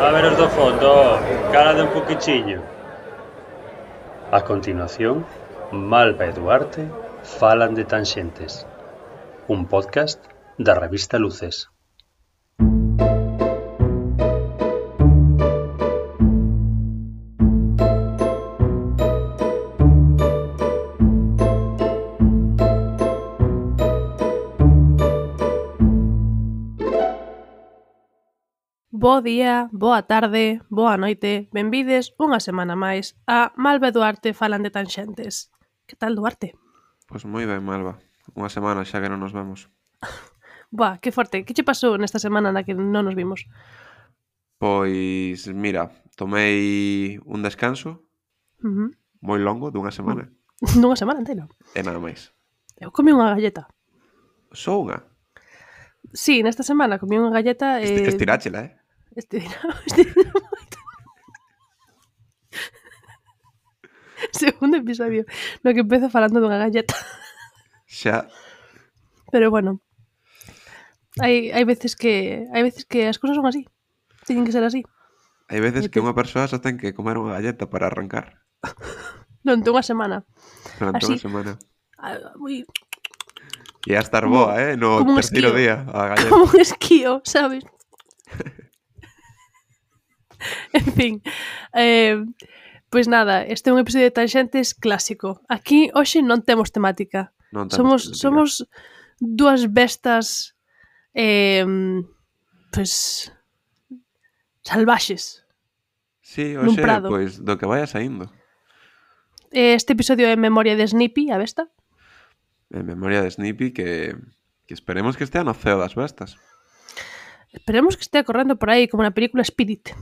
A ver os do fondo, cálade un poquichiño. A continuación, Malva e Duarte falan de Tanxentes, un podcast da revista Luces. Bo día, boa tarde, boa noite, benvides unha semana máis a Malva e Duarte falan de Tanxentes. Que tal, Duarte? Pois moi ben, Malva. Unha semana xa que non nos vemos. Buah, que forte. Que che pasou nesta semana na que non nos vimos? Pois, mira, tomei un descanso moi longo dunha semana Nunha semana inteira. e nada máis. Eu comí unha galleta. Só unha. Sí, nesta semana comí unha galleta e... Estiráchela, Estirina moito. Segundo episodio no que empezo falando dunha galleta. Xa. Pero bueno, hai veces que as cousas son así. Teñen que ser así. Hai veces que unha persoa só ten que comer unha galleta para arrancar. Durante unha semana. Durante Así. unha semana. Moi... E a estar Como- boa, no como un terceiro esquío. día, a galleta. Como un esquío, sabes? En fin, pois nada, este é un episodio de Tanxentes clásico. Aquí hoxe non temos temática. Non temos temática. Somos dúas bestas pois salvaxes. Sí, nun hoxe, prado. pois, do que vaya saindo. Este episodio é en memoria de Snippy, a besta. En memoria de Snippy que esperemos que estea no ceo das bestas. Esperemos que estea correndo por aí como na película Spirit.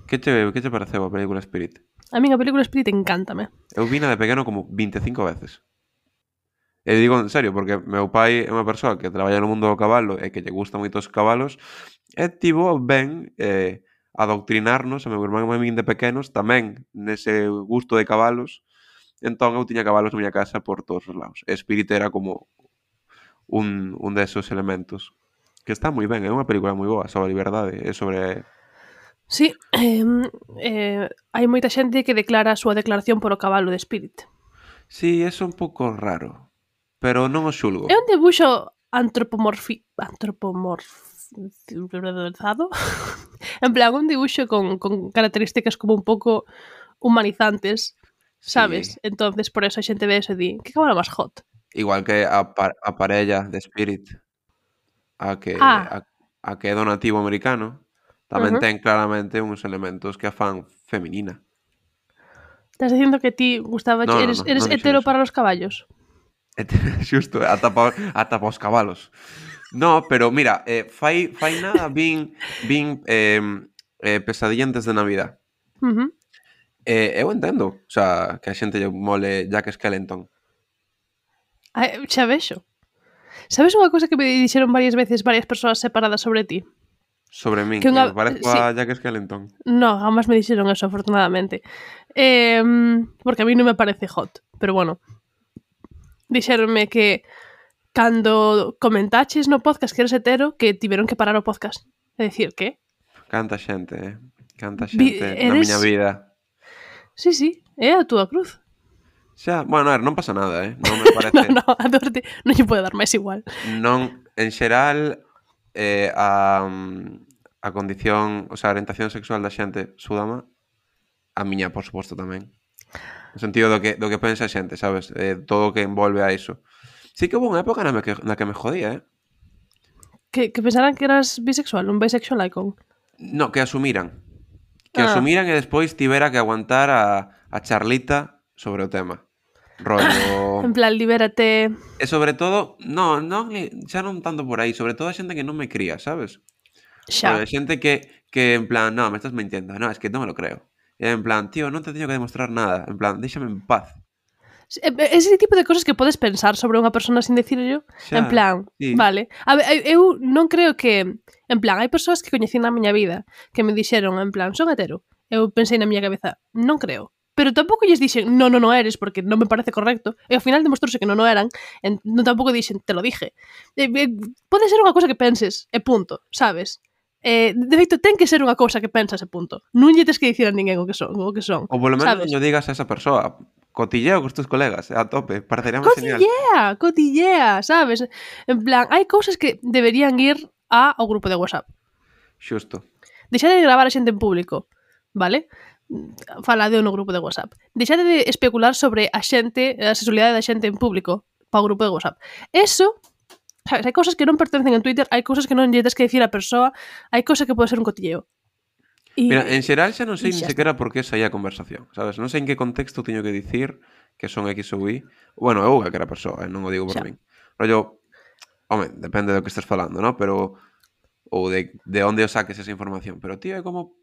Que che pareceu a película Spirit? A min a película Spirit encántame. Eu vina de pequeno como 25 veces. E digo en serio, porque meu pai é unha persoa que traballa no mundo do cabalo e que lle gustan moito os cabalos e tivo ben adoctrinarnos a meu irmán e a min de pequenos tamén nese gusto de cabalos. Entón eu tiña cabalos na miña casa por todos os lados. E Spirit era como un desos elementos que está moi ben, é unha película moi boa sobre a liberdade e sobre... Sí, hai moita xente que declara a súa declaración por o cabalo de Spirit. Sí, é un pouco raro, pero non o xulgo. É un debuxo antropomorfizado. En plan, un dibuxo con características como un pouco humanizantes, sabes? Sí. Entonces, por eso a xente ve eso e di, que cabalo máis hot. Igual que a parella de Spirit, a que é do nativo americano, tamén ten claramente uns elementos que a fan feminina. Estás dicindo que ti gustaba... No, eres non hetero dixen eso. para os caballos? Xusto, ata pa os cabalos. No, pero mira, fai nada vin Pesadilla antes de Navidad. Eu entendo, o sea, que a xente lle mole Jack Skellington. Xa vexo. Sabes unha cousa que me dixeron varias veces varias persoas separadas sobre ti? Sobre min, Que que unha- me parezco sí. a Jack Skellington. No, jamás me dixeron eso, afortunadamente. Porque a mí non me parece hot. Pero bueno. Dixeronme que cando comentaches no podcast que eres hetero, que tiveron que parar o podcast. É dicir, que? Canta xente na miña vida. Sí, é a túa cruz. Xa, bueno, a ver, non pasa nada, non me parece... No, a Duarte non lle pode dar máis igual. Non, en xeral, a condición, o sea, a orientación sexual da xente súdama, a miña, por suposto, tamén. No sentido do que pensa a xente, sabes? Todo o que envolve a iso. Sí que houve unha época na que me jodía, Que pensaran que eras bisexual, un bisexual icon. No, que asumiran. Que asumiran e despois tivera que aguantar a charlita sobre o tema. Rollo... En plan, libérate. E sobre todo, xa non tanto por aí, sobre todo a xente que non me cría, sabes? Xa. A xente que en plan, no, me estás mintiendo, no, es que non me lo creo. E en plan, tío, non te teño que demostrar nada, en plan, déxame en paz. Ese tipo de cosas que podes pensar sobre unha persona sin dicirlo, en plan, sí. Vale. A ver, eu non creo que, en plan, hai persoas que coñecín na miña vida que me dixeron, en plan, son hetero. Eu pensei na miña cabeza, non creo. Pero tampouco lles dixen, non eres, porque non me parece correcto. E ao final demostrouse que non eran. Non tampouco dixen, te lo dije. Pode ser unha cosa que penses, e punto, sabes? De feito, ten que ser unha cousa que pensas e punto. Non lle tes que dicir a ninguén o que son. Ou polo menos sabes? non lle digas a esa persoa. Cotilleo cos tus colegas, a tope. Parecería máis genial. Cotillea, sabes? En plan, hai cousas que deberían ir ao grupo de WhatsApp. Xusto. Deixade de gravar a xente en público, vale? Faladeo no grupo de WhatsApp. Deixade de especular sobre a sexualidade da xente en público para o grupo de WhatsApp. Eso, sabes, hai cousas que non pertencen en Twitter, hai cousas que non lle tes que dicir a persoa, hai cousas que pode ser un cotilleo. Mira, en xeral xa non sei ni sequera por que saía a conversación, sabes? Non sei en que contexto teño que dicir que son X ou Y. Bueno, eu que era persoa, non o digo por min. Rollo, home, depende do que estés falando, ¿no? Pero ou de onde o saques esa información. Pero, tío, é como,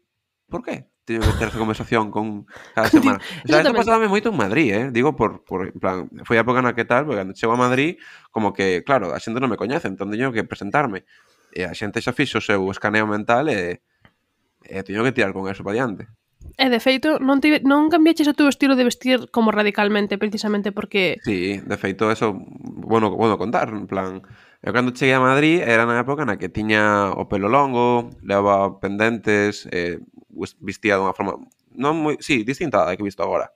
por qué teño que ter esa conversación con cada semana? O sea, isto pasábame moito en Madrid, Digo, por en plan, foi a época na que tal, porque cando chego a Madrid, como que, claro, a xente non me coñece, entón teño que presentarme. E a xente xa fixo o seu escaneo mental e teño que tirar con eso para diante. E de feito, non cambiaches o teu estilo de vestir como radicalmente, precisamente porque... Sí, de feito, eso, bueno contar, en plan... Eu cando cheguei a Madrid era na época na que tiña o pelo longo, levaba pendentes, vestía dunha forma non moi, sí, distinta da que visto agora.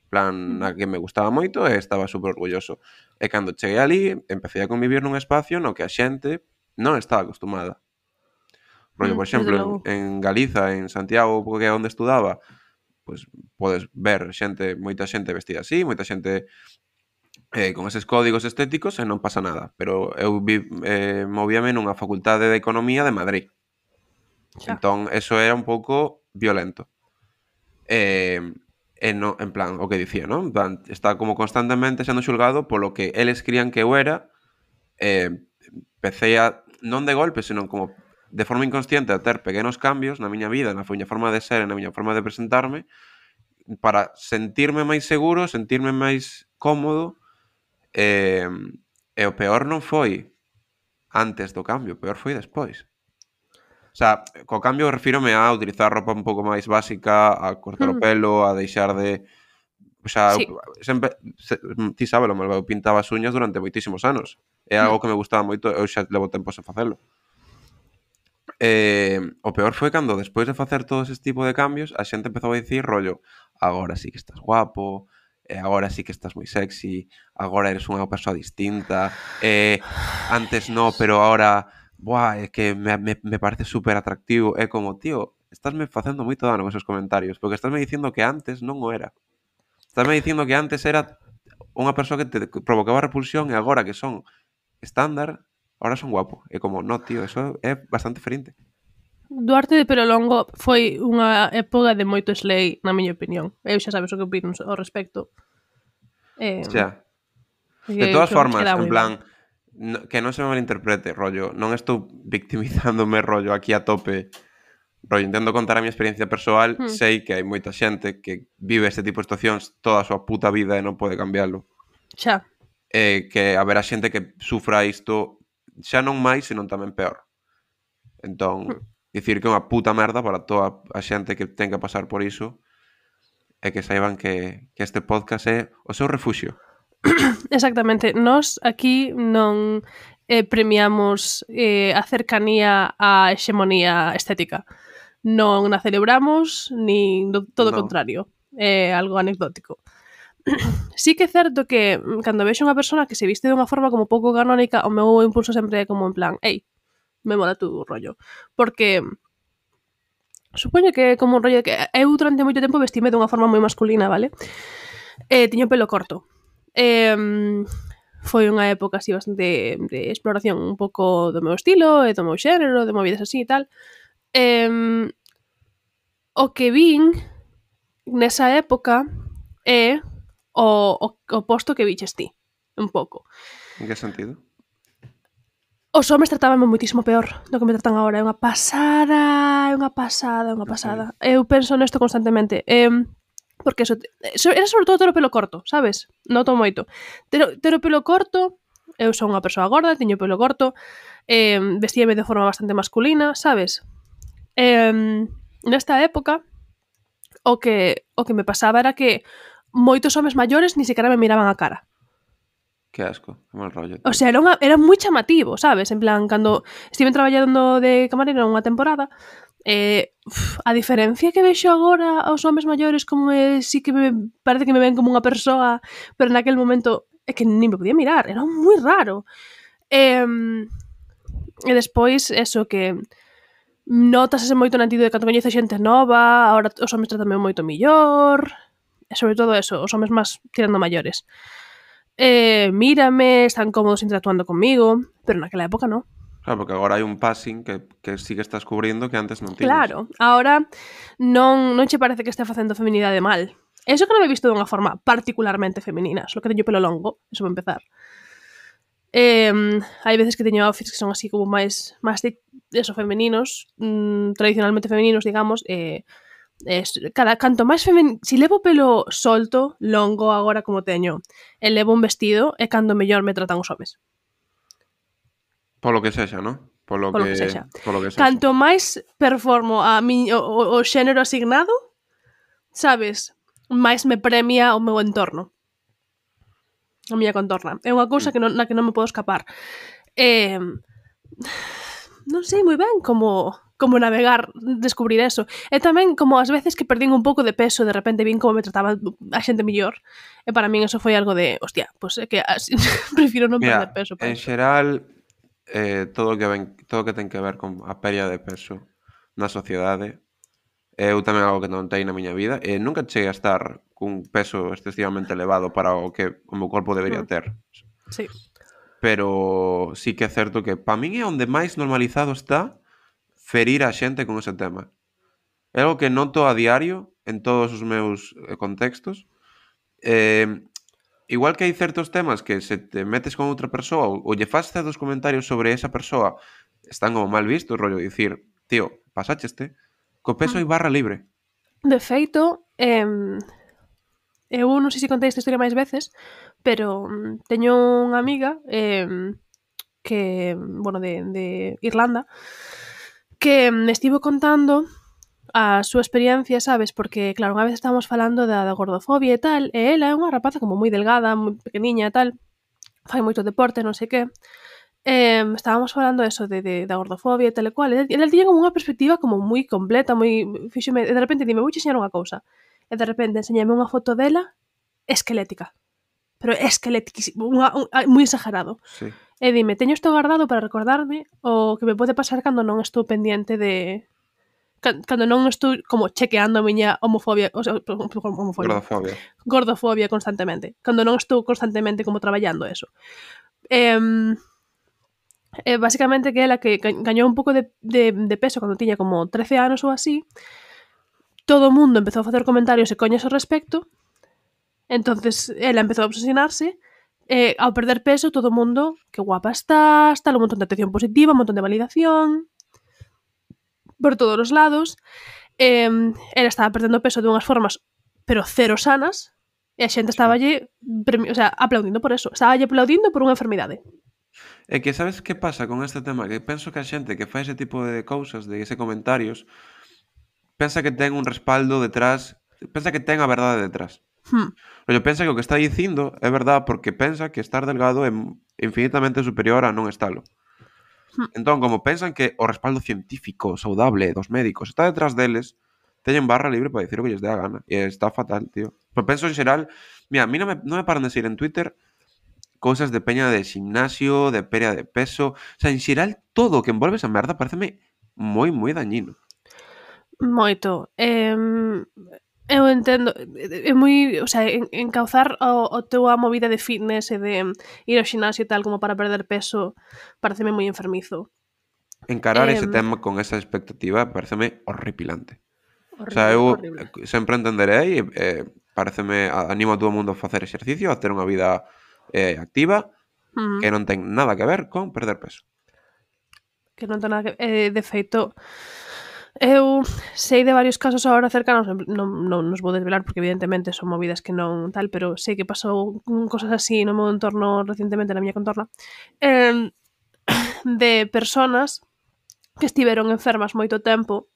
En plan, na que me gustaba moito e estaba super orgulloso. E cando cheguei ali, empecé a convivir nun espacio no que a xente non estaba acostumada. Rollo, por exemplo, en Galiza, en Santiago, que é onde estudaba, pois podes ver moita xente vestida así, moita xente con eses códigos estéticos e non pasa nada. Pero eu movíame nunha facultade de Economía de Madrid. Entón, eso era un pouco violento. No, en plan, o que dicía, non? En plan, está como constantemente sendo xulgado polo que eles crían que eu era. Empecé a, non de golpe, senón como de forma inconsciente, a ter pequenos cambios na miña vida, na miña forma de ser e na miña forma de presentarme, para sentirme máis seguro, sentirme máis cómodo. E o peor non foi antes do cambio, o peor foi despois. O sea, co cambio refírome a utilizar roupa un pouco máis básica, a cortar o pelo, a deixar de... O sea, sí. Sempre... Ti sábelo, eu pintaba as uñas durante moitísimos anos. É algo que me gustaba moito, eu xa levo tempo sen facelo. O peor foi cando, despois de facer todo ese tipo de cambios, a xente empezou a dicir, rollo, agora sí que estás guapo, agora sí que estás moi sexy, agora eres unha persoa distinta, antes no, pero ahora, é que me parece super atractivo. É como, tío, estásme facendo moito dano con esos comentarios, porque estásme dicindo que antes non o era. Estásme dicindo que antes era unha persoa que te provocaba repulsión e agora que son estándar, ahora son guapo. É como, no, tío, eso é bastante ferinte. Duarte de pelo longo foi unha época de moito slay, na miña opinión. Eu xa sabes o que opino ao respecto. Xa. De todas formas, en plan, que non se me malinterprete, rollo, non estou victimizándome, rollo, aquí a tope. Rollo, intento contar a miña experiencia persoal, sei que hai moita xente que vive este tipo de situacións toda a súa puta vida e non pode cambiarlo. Xa. Que haberá xente que sufra isto xa non máis, senón tamén peor. Entón, dicir que é unha puta merda para toda a xente que ten que pasar por iso e que saiban que este podcast é o seu refuxio. Exactamente. Nos aquí non premiamos a cercanía á hexemonía estética. Non a celebramos, nin todo o contrario. É algo anecdótico. Sí que é certo que cando vexo unha persona que se viste de unha forma como pouco canónica, o meu impulso sempre é como en plan, ei, me mola tu rollo. Porque supoño que é como un rollo que eu durante moito tempo vestime dunha forma moi masculina, vale? Tiño pelo corto. Foi unha época así bastante de exploración un pouco do meu estilo e do meu xénero, de movidas así e tal. O que vin nesa época é o oposto que viches ti, un pouco. En que sentido? Os homes tratábanme moitísimo peor do que me tratan agora. É unha pasada, é unha pasada, é unha pasada. Eu penso nesto constantemente. Porque eso era sobre todo ter o pelo corto, sabes? Noto moito. Ter o pelo corto, eu son unha persoa gorda, teño o pelo corto, vestíame de forma bastante masculina, sabes? Nesta época, o que me pasaba era que moitos homes maiores ni sequera me miraban a cara. Que asco, que mal rollo. O sea, era moi chamativo, sabes? En plan, cando estive traballando de camarera unha temporada, a diferencia que vexo agora aos homes maiores como sí que parece que me ven como unha persoa, pero naquel momento é que nin me podía mirar, era moi raro. E despois, eso, que notase moito no sentido de cando coñece xente nova, agora os homes tratan moito millor, e sobre todo eso, os homes máis tirando maiores. Mírame, están cómodos interactuando conmigo, pero naquela época non. Claro, porque agora hai un passing que sí que estás cubrindo que antes non tiñas. Claro, agora non che parece que estea facendo feminidade mal. Eso que non me he visto dunha forma particularmente femenina, só que teño pelo longo, eso para empezar. Hai veces que teño outfits que son así como máis de eso, femeninos, tradicionalmente femeninos, digamos, canto máis si levo pelo solto, longo agora como teño, e levo un vestido, é cando mellor me tratan os homes. Polo que sexa, non? Polo que sexa. Canto máis performo o xénero asignado, sabes, máis me premia o meu entorno. A miña contorna. É unha cousa na que non me podo escapar. Non sei moi ben como navegar, descubrir eso. E tamén como as veces que perdín un pouco de peso, de repente vin como me trataba a xente mellor, e para min eso foi algo de, hostia, pues é que así, prefiro non perder peso. En xeral, todo o que ten que ver con a pérdida de peso na sociedade, eu tamén algo que notei na miña vida, e nunca cheguei a estar cun peso excesivamente elevado para o que o meu corpo debería ter. Sí. Pero sí que é certo que para min é onde máis normalizado está ferir a xente con ese tema. É algo que noto a diario en todos os meus contextos. Igual que hai certos temas que se te metes con outra persoa ou lle faz certos comentarios sobre esa persoa, están como mal vistos, rollo dicir, tío, pasácheste, co peso hai barra libre. De feito, eu non sei se contei esta historia máis veces, pero teño unha amiga que, bueno, de Irlanda, que me estivo contando a súa experiencia, sabes? Porque, claro, unha vez estábamos falando da gordofobia e tal, e ela é unha rapaza como moi delgada, moi pequeniña e tal, fai moito deporte, non sei que. Estábamos falando eso da gordofobia e tal e cual, e ela tiña como unha perspectiva como moi completa, moi fíxome, e de repente dime, vouche enseñar unha cousa, e de repente enseñame unha foto dela esquelética, pero esquelética, moi exagerado. Sí. E dime, teño isto guardado para recordarme o que me pode pasar cando non estou pendiente de... Cando non estou como chequeando a miña homofobia, o sea, gordofobia constantemente. Cando non estou constantemente como traballando eso. Basicamente que ela que gañou un pouco de peso cando tiña como 13 anos ou así, todo o mundo empezou a facer comentarios e coñas ao respecto, entonces ela empezou a obsesionarse. Ao perder peso, todo o mundo, que guapa estás, tal, un montón de atención positiva, un montón de validación, por todos os lados. Ela estaba perdendo peso de unhas formas, pero cero sanas, e a xente estaba aplaudindo por eso. Estaba aplaudindo por unha enfermidade. É que sabes que pasa con este tema? Que penso que a xente que fai ese tipo de cousas, de ese comentarios, pensa que ten un respaldo detrás, pensa que ten a verdade detrás. Pero pensa que o que está dicindo é verdade porque pensa que estar delgado é infinitamente superior a non estalo. Entón, como pensan que o respaldo científico, saudable dos médicos está detrás deles, teñen barra libre para dicir o que lles dé a gana. E está fatal, tío. Pero penso en xeral, mira, a mí non me paran de seguir en Twitter cousas de peña de gimnasio, de pérdida de peso. O sea, en xeral, todo o que envolve esa merda pareceme moi, moi dañino. Moito. Eu entendo, é moi, o sea, encauzar o teu a movida de fitness e de ir ao ximnasio e tal como para perder peso pareceme moi enfermizo. Encarar ese tema con esa expectativa pareceme horripilante. Horrible, o sea, eu horrible. Sempre entenderei, pareceme, animo a todo o mundo a facer exercicio, a ter unha vida activa, que non ten nada que ver con perder peso. Que non ten nada que... de feito, eu sei de varios casos agora cercanos, non nos vou desvelar porque evidentemente son movidas que non tal, pero sei que pasou cosas así no meu entorno recentemente, na miña contorna, de personas que estiveron enfermas moito tempo,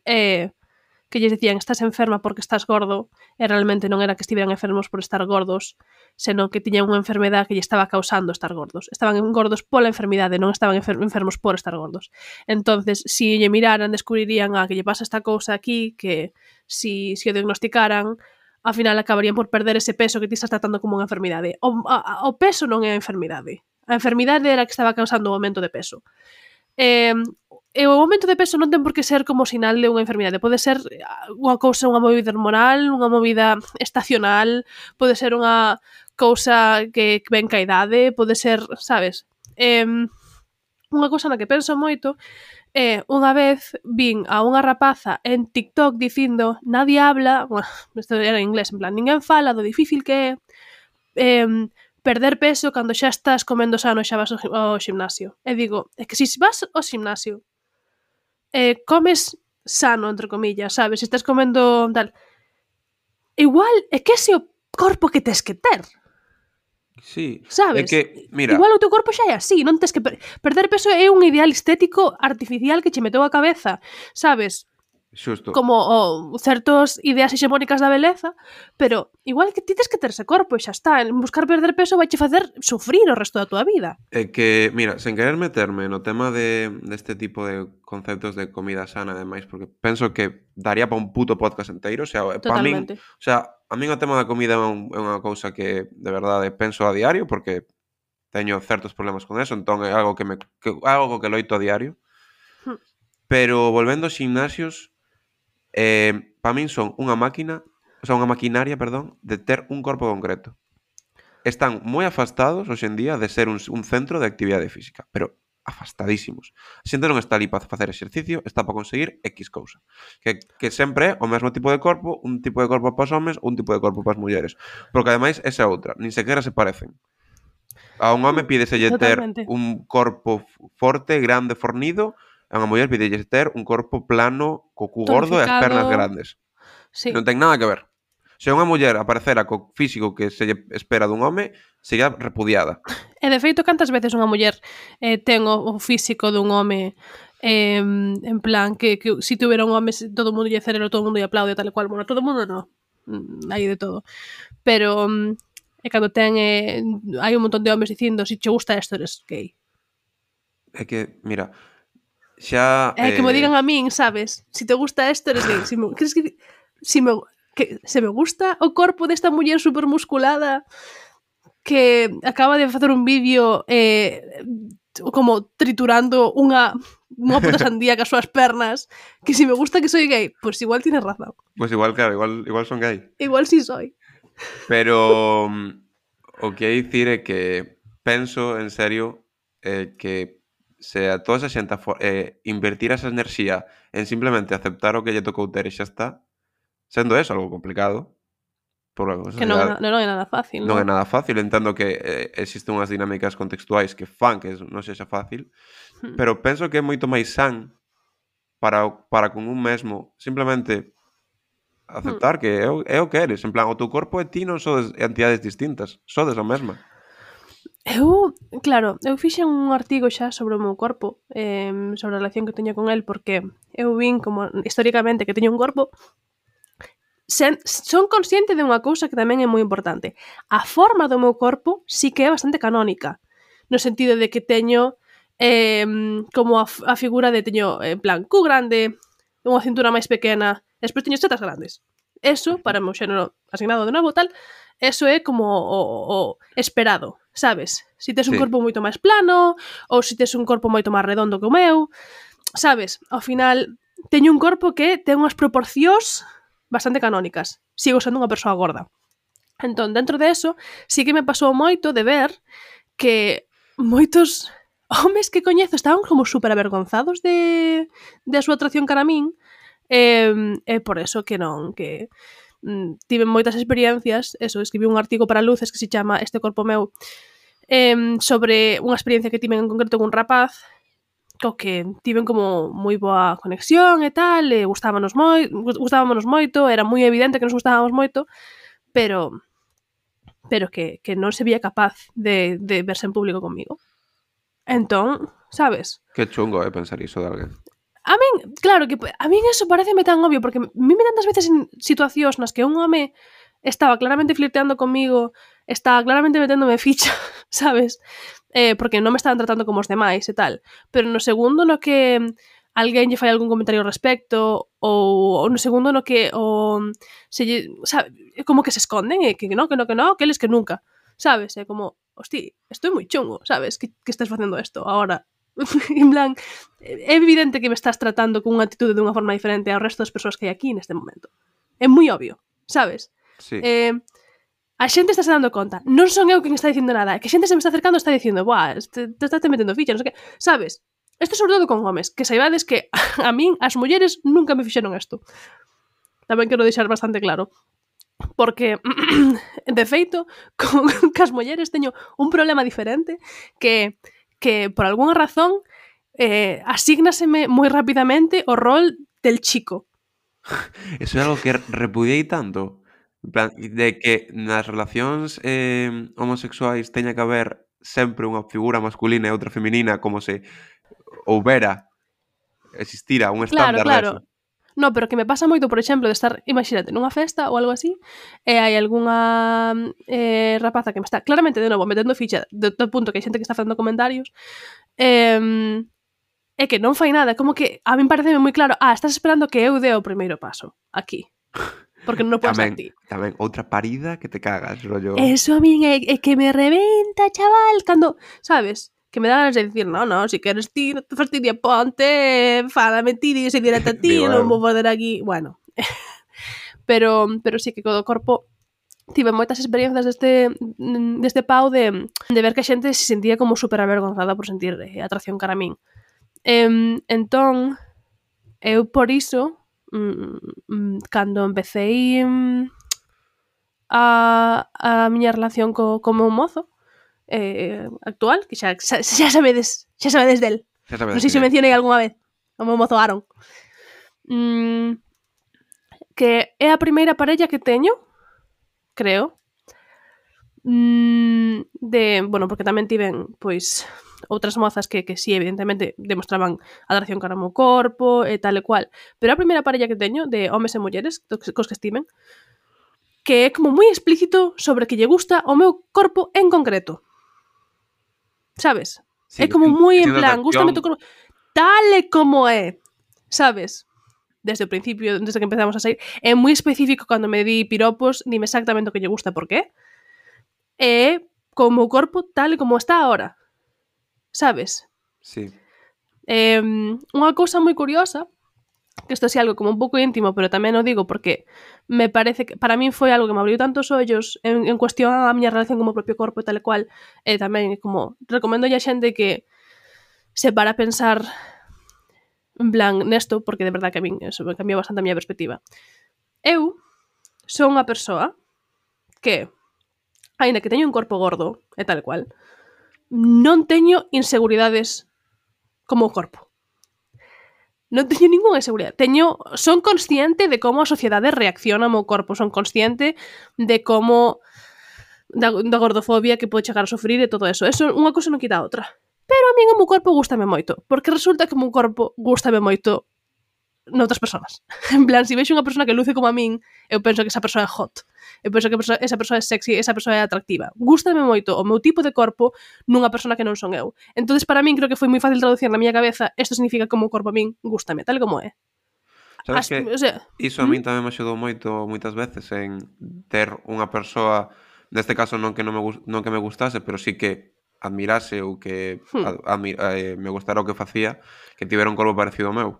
que que lles dicían estás enferma porque estás gordo, e realmente non era que estiveran enfermos por estar gordos, senón que tiñan unha enfermedade que lle estaba causando estar gordos. Estaban gordos pola enfermidade, non estaban enfermos por estar gordos. Entonces, si lle miraran, descubrirían que lle pasa esta cousa aquí, que si o diagnosticaran, ao final acabarían por perder ese peso que ti estás tratando como unha enfermidade. O peso non é a enfermidade. A enfermidade era a que estaba causando o aumento de peso. E o aumento de peso non ten por que ser como sinal de unha enfermidade. Pode ser unha cousa, unha movida hormonal, unha movida estacional, pode ser unha cousa que ven ca idade, pode ser, sabes? Unha cousa na que penso moito unha vez vin a unha rapaza en TikTok dicindo nadie habla, bueno, isto era en inglés, en plan, ninguén fala do difícil que é perder peso cando xa estás comendo sano e xa vas ao gimnasio. E digo, é que se vas ao gimnasio comes sano, entre comillas, sabes? Se estás comendo tal, igual é que ese o corpo que tes que ter. Sí, Sabes? é que, mira, igual o teu corpo xa é así, non tes que perder peso é un ideal estético artificial que che meteu a cabeza, sabes? xusto, Como certos ideas hexemónicas da beleza, pero igual que ti tes que ter ese corpo e xa está, en buscar perder peso vai che facer sufrir o resto da tua vida. é que, mira, sen querer meterme no tema deste tipo de conceptos de comida sana e demais, porque penso que daría para un puto podcast inteiro, o sea, para min, Totalmente. o sea, a min o tema da comida é unha cousa que de verdade penso a diario, porque teño certos problemas con eso, entón é algo algo que loito a diario. Hmm. Pero volvendo aos gimnasios, para min son unha maquinaria, perdón, de ter un corpo concreto. Están moi afastados hoxe en día de ser un centro de actividade física, pero afastadísimos. A xente non está ali para facer exercicio, está para conseguir X cousa. Que sempre é o mesmo tipo de corpo, un tipo de corpo para os homes, un tipo de corpo para as mulleres. Porque ademais esa outra, nin sequera se parecen. A un home pídeselle ter Totalmente. un corpo forte, grande, fornido, a unha muller pídelle ter un corpo plano, co cu gordo e as pernas Tonificado. grandes. Sí. Non ten nada que ver. Se unha muller aparecera co físico que se lle espera dun home, sería repudiada. E de feito, cantas veces unha muller ten o físico dun home en plan que si tuviera un home todo o mundo lle celebra, todo o mundo lle aplaude tal e cual, bueno, todo o mundo non, hai de todo, pero e cando ten hai un montón de homes dicindo si che gusta isto eres gay. É que, mira, xa... Que me digan a min, sabes? Si te gusta isto eres gay. Crees que se me gusta o corpo desta muller supermusculada que acaba de facer un vídeo como triturando unha puta sandía cas súas pernas, que si me gusta que soy gay, pues igual tienes razón. Pues igual, claro, igual son gay. Igual sí soy. Pero o que hai dicir é que penso, en serio, que se a toda esa xente invertir esa enerxía en simplemente aceptar o que lle tocou ter e xa está, sendo eso algo complicado, porque Que non é nada fácil, non é nada fácil, entendo que existen unhas dinámicas contextuais que fan que non sexa fácil, pero penso que é moito máis san para con un mesmo simplemente aceptar que é o que eres, en plan, o teu corpo e ti non sodes entidades distintas, sodes a mesma. Claro, eu fixen un artigo xa sobre o meu corpo, sobre a relación que teño con el, porque eu vin como históricamente que teño un corpo. Son consciente de unha cousa que tamén é moi importante. A forma do meu corpo sí que é bastante canónica, no sentido de que teño como a figura de teño en plan cu grande, unha cintura máis pequena, despois teño tetas grandes. Eso, para o meu xénero asignado de novo tal, eso é como o esperado, sabes? Si tes un corpo moito máis plano, ou si tes un corpo moito máis redondo que o meu, sabes? Ao final, teño un corpo que ten unhas proporcións bastante canónicas. Sigo sendo unha persoa gorda. Entón, dentro de eso, sí que me pasou moito de ver que moitos homes que coñezo estaban como super avergonzados de a súa atracción cara a min, e por eso que non, que tive moitas experiencias, escribí un artigo para Luces que se chama Este corpo meu, sobre unha experiencia que tiven en concreto con un rapaz co que tiven como moi boa conexión e tal, e gustábamos moito, era moi evidente que nos gustábamos moito, pero que non se veía capaz de verse en público comigo. Entón, sabes? Que chungo pensar iso de alguén. A min, claro, que a min eso pareceme tan obvio, porque mime tantas veces en situacións nas que un home estaba claramente flirteando comigo, estaba claramente meténdome ficha, sabes? Porque non me estaban tratando como os demais e tal. Pero no segundo no que alguén lle fai algún comentario ao respecto, ou no segundo no que sabe, como que se esconden, e que no, que eles que nunca, sabes? É como, hosti, estou moi chungo, sabes? Que estás facendo isto agora. En plan, é evidente que me estás tratando con unha actitude dunha forma diferente ao resto das persoas que hai aquí neste momento. É moi obvio, sabes? Sí. A xente está se dando conta. Non son eu quen está dicindo nada. Que a xente se me está acercando e está dicindo, buah, te estás metendo ficha, non sei que. Sabes? Isto sobre todo con homes. Que saibades que a min, as mulleres, nunca me fixeron isto. Tamén quero deixar bastante claro. Porque, de feito, con as mulleres teño un problema diferente que por algunha razón asígnaseme moi rapidamente o rol del chico. Eso é algo que repudiei tanto. En plan, de que nas relacións homosexuais teña que haber sempre unha figura masculina e outra feminina, como se existira un estándar Claro. deso. No, pero que me pasa moito, por exemplo, de estar, imagínate, nunha festa ou algo así, e hai algunha rapaza que me está claramente, de novo, metendo ficha do punto que hai xente que está facendo comentarios, é que non fai nada, como que a min pareceme moi claro, estás esperando que eu dé o primeiro paso aquí. Porque non podes ser ti. Tamén, outra parida que te cagas, rollo. Eso a min é que me reventa, chaval, cando, sabes, que me dá ganas de dicir, no, si queres ti, non te fastidia, ponte, fálame ti, dise directo a ti, non vou poder aquí, bueno. pero sí que co corpo tive moitas experiencias deste pau de ver que a xente se sentía como super avergonzada por sentir atracción cara a min. Entón, eu por iso, cando empecéi a miña relación co meu mozo actual, que xa sabedes del. Non sei se mencionei algunha vez o meu mozo Aaron. Que é a primeira parella que teño, creo, bueno, porque tamén tiven, pois, outras mozas que sí, evidentemente, demostraban atracción cara ao meu corpo e tal e cual. Pero a primeira parella que teño, de homes e mulleres, cos que estiven, que é como moi explícito sobre que lle gusta o meu corpo en concreto. Sabes? Sí, é como moi en plan, gústame tu corpo tal e como é. Sabes? Desde o principio, desde que empezamos a sair, é moi específico cando me di piropos, dime exactamente o que lle gusta por qué. É como o corpo tal e como está ahora. Sabes? Sí. Unha cousa moi curiosa, que isto é algo como un pouco íntimo, pero tamén o digo porque me parece que para min foi algo que me abriu tantos ollos en cuestión a miña relación con o propio corpo e tal e cual, e tamén como recomendo a xente que se para a pensar en plan nesto, porque de verdad que a min eso me cambiou bastante a miña perspectiva. Eu son unha persoa que, aínda que teño un corpo gordo e tal e cual, non teño inseguridades como o corpo. Non teño ninguna inseguridade. Son consciente de como a sociedade reacciona ao meu corpo. Son consciente de como da gordofobia que pode chegar a sofrir e todo eso. Eso unha cousa non quita a outra. Pero a min o meu corpo gústame moito. Porque resulta que o meu corpo gústame moito noutras persoas. En plan, se vexo unha persona que luce como a min, eu penso que esa persoa é hot. Eu penso que esa persoa é sexy, esa persoa é atractiva. Gústame moito o meu tipo de corpo nunha persona que non son eu. Entonces, para min, creo que foi moi fácil traducir na miña cabeza, isto significa que o meu corpo a min gústame, tal como é. Sabes que iso a min tamén me axudou moito moitas veces en ter unha persoa, neste caso non que me gustase, pero sí que admirase ou que me gustara o que facía, que tivera un corpo parecido ao meu.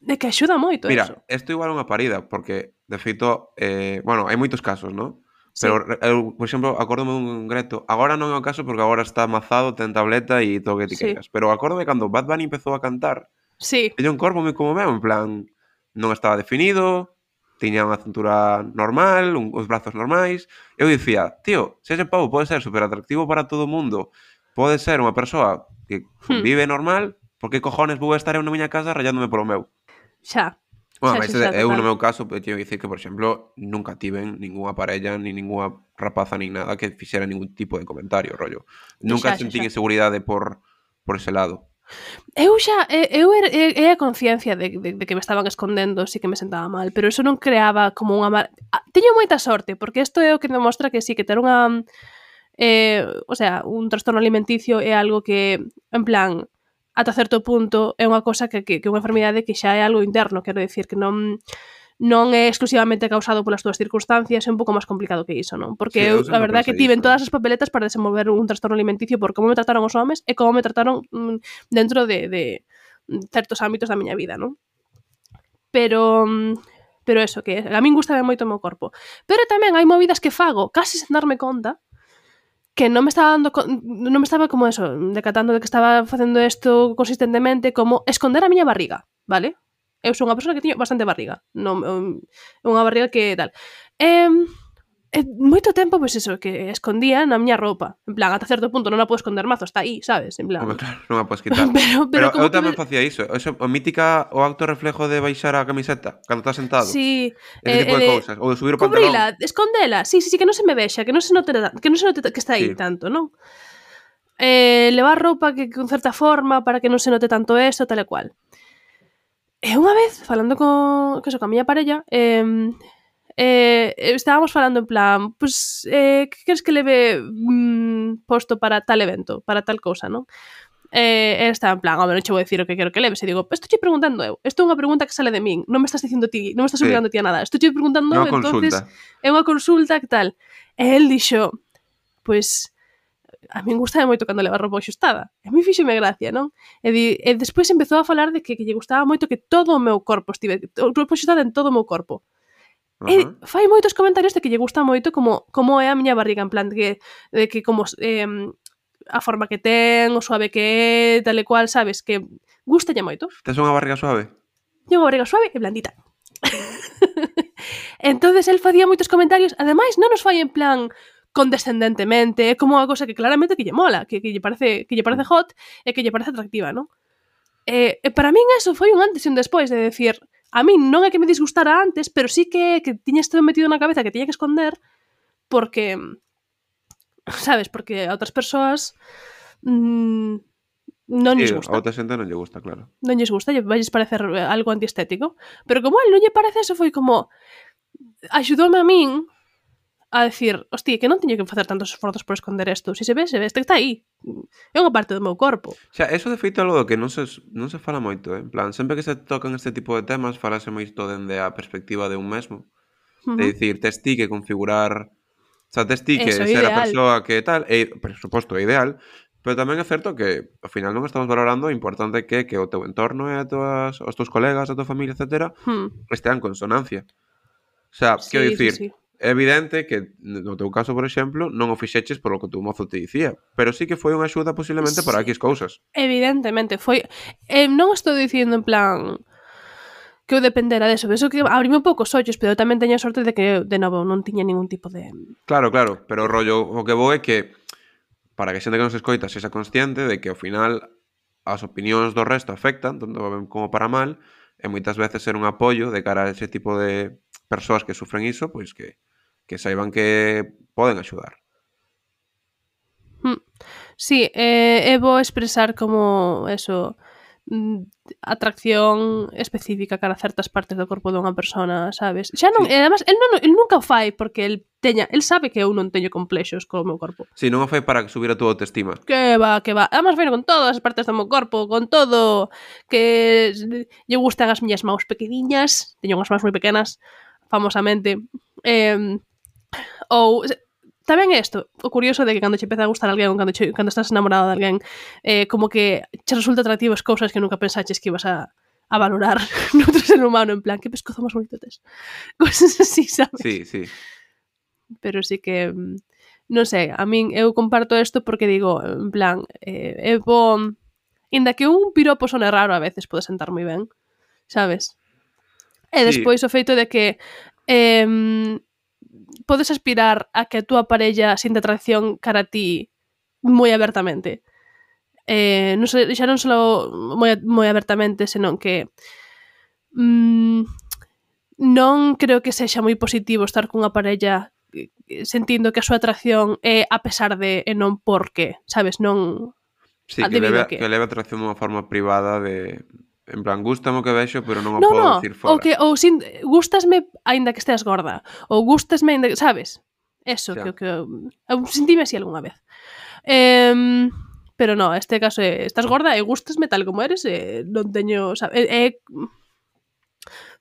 De que axuda moito. Mira, eso. Isto igual é unha parida, porque, de feito, bueno, hai moitos casos, non? Sí. Pero, eu, por exemplo, acórdome dun greto. Agora non é o caso porque agora está amazado, ten tableta e todo o que ti queiras. Pero acórdome cando Bad Bunny empezou a cantar. Sí. Teña un corpo moi como meu, en plan, non estaba definido, tiña unha cintura normal, os brazos normais. Eu dicía, tío, se ese pavo pode ser super atractivo para todo o mundo, pode ser unha persoa que vive normal, por que cojones vou estar eu na miña casa rayándome polo meu? Xa. Bueno, mas eu no meu caso teño que dicir que, por exemplo, nunca tiven ningunha parella, ni ningunha rapaza, nin nada que fixera ningún tipo de comentario, rollo. Nunca sentín inseguridade por ese lado. Eu a conciencia de que me estaban escondendo, sí que me sentaba mal, pero eso non creaba como unha teño moita sorte, porque isto é o que demostra que sí, que ter unha o sea, un trastorno alimenticio é algo que, en plan, ata certo punto é unha cosa que unha enfermidade que xa é algo interno, quero dicir que non é exclusivamente causado polas túas circunstancias, é un pouco máis complicado que iso, non? Porque Sí, eu, eu a sempre verdade é que pensei tiven iso. todas as papeletas para desenvolver un trastorno alimenticio por como me trataron os homes e como me trataron dentro de certos ámbitos da miña vida, non? Pero eso, que a min gustaba moito o meu corpo. Pero tamén hai movidas que fago casi sen darme conta que non me estaba non me estaba como eso, decatando de que estaba facendo isto consistentemente, como esconder a miña barriga, vale? Eu sou unha persoa que teño bastante barriga, non unha barriga que tal. Moito tempo, pois eso, que escondía na miña roupa. En plan, ata certo punto non a podo esconder mazo, está aí, sabes? En plan... Home, claro, non a podes quitar. pero eu como que... tamén facía iso. Eso, o mítica, o acto reflejo de baixar a camiseta cando estás sentado. Sí, Ese tipo de cousas. Ou de subir o pantalón. cubrila, escondela, sí, que non se me vexa, que non se note que está aí Sí. tanto, non? Levar roupa que con certa forma para que non se note tanto eso, tal e cual. E unha vez, falando con a miña parella, estábamos falando en plan, pues, que queres que leve posto para tal evento, para tal cousa, non? Estaba en plan, non che vou dicir o que quero que leves. E digo, estou che preguntando eu. Isto é unha pregunta que sale de min. Non me estás dicindo ti, non me estás obligando ti a nada. Estou che preguntando eu, entonces é unha consulta, que tal? E el dixo, pues, a min gustaba moito cando leva roupa axustada. A mí fíxome gracia, non? E despois empezou a falar de que lle gustaba moito que todo o meu corpo estive, roupa axustada en todo o meu corpo. E fai moitos comentarios de que lle gusta moito como é a miña barriga, en plan de que como a forma que ten, o suave que é, tal e cual, sabes, que gustalle moito. Tes unha barriga suave? Teño unha barriga suave e blandita. Entonces el facía moitos comentarios, ademais non os fai en plan condescendentemente, é como unha cosa que claramente que lle mola, que lle parece hot e que lle parece atractiva, non? E para min eso foi un antes e un despois de decir, a min non é que me disgustara antes, pero sí que tiña isto metido na cabeza que tiña que esconder porque, sabes, porque a outras persoas non lles gusta. A outra xente non lle gusta, claro. Non lles gusta, lle vais parecer algo antiestético, pero como a él non lle parece, eso foi como axudoume a min a decir, hostia, que non teño que facer tantos esforzos por esconder isto. Se ve, está aí. É unha parte do meu corpo. Xa, eso de feito é algo que non se fala moito, En plan, sempre que se tocan este tipo de temas, falase moito dende a perspectiva de un mesmo. De dicir, tes ti que configurar... O sea, tes ti que ser a persoa que tal, e, por suposto, é ideal, pero tamén é certo que, ao final, non estamos valorando o importante que o teu entorno e os teus colegas, a tua familia, etc., estean en consonancia. O sea, quero dicir... Sí. É evidente que, no teu caso, por exemplo, non o fixeches por o que o teu mozo te dicía, pero sí que foi unha axuda posiblemente para X cousas. Evidentemente, foi... non estou dicindo en plan que eu dependera deso, eso que abrime un pouco os ollos, pero eu tamén teño a sorte de que, de novo, non tiña ningún tipo de... Claro, pero o rollo, o que vou é que para que a xente que nos escoita sexa consciente de que ao final as opinións do resto afectan, tanto ben como para mal, e moitas veces ser un apoio de cara a ese tipo de persoas que sufren iso, pois que saiban que poden axudar. Sí, é bo expresar como eso, atracción específica cara a certas partes do corpo dunha persona, sabes? Xa non, sí. E además, el nunca o fai porque el sabe que eu non teño complexos co meu corpo. Sí, non o fai para subir a túa autoestima. Que va. Además, bueno, con todas as partes do meu corpo, con todo, que lle gustan as miñas maus pequeniñas, teño unhas maus moi pequenas, famosamente, ou tamén isto, o curioso de que cando che empeza a gustar alguén, cando estás enamorado de alguén, como que che resulta atractivo as cousas que nunca pensaches que ibas a valorar noutro ser humano, en plan, que pescozo máis bonito tes. Cousas así, sabes? Sí. Pero sí que, non sei, a min eu comparto isto porque digo, en plan, inda que un piropo sone raro a veces pode sentar moi ben, sabes? E despois o feito de que podes aspirar a que a túa parella sinta atracción cara a ti moi abertamente. Non sei, xa non só moi abertamente, senón que non creo que sexa moi positivo estar cunha parella sentindo que a súa atracción é a pesar de e non porque, sabes, non... Sí, que debido leve, a que... que leve a atracción dunha forma privada de... En plan, gústame o que vexo, pero non o No, podo no, dicir fora. gústasme aínda que esteas gorda, ou gústasme aínda que, sabes? Eso, Xa. que eu sentime así algunha vez. Pero no, este caso é, estás gorda e gústasme tal como eres, non teño, sabe,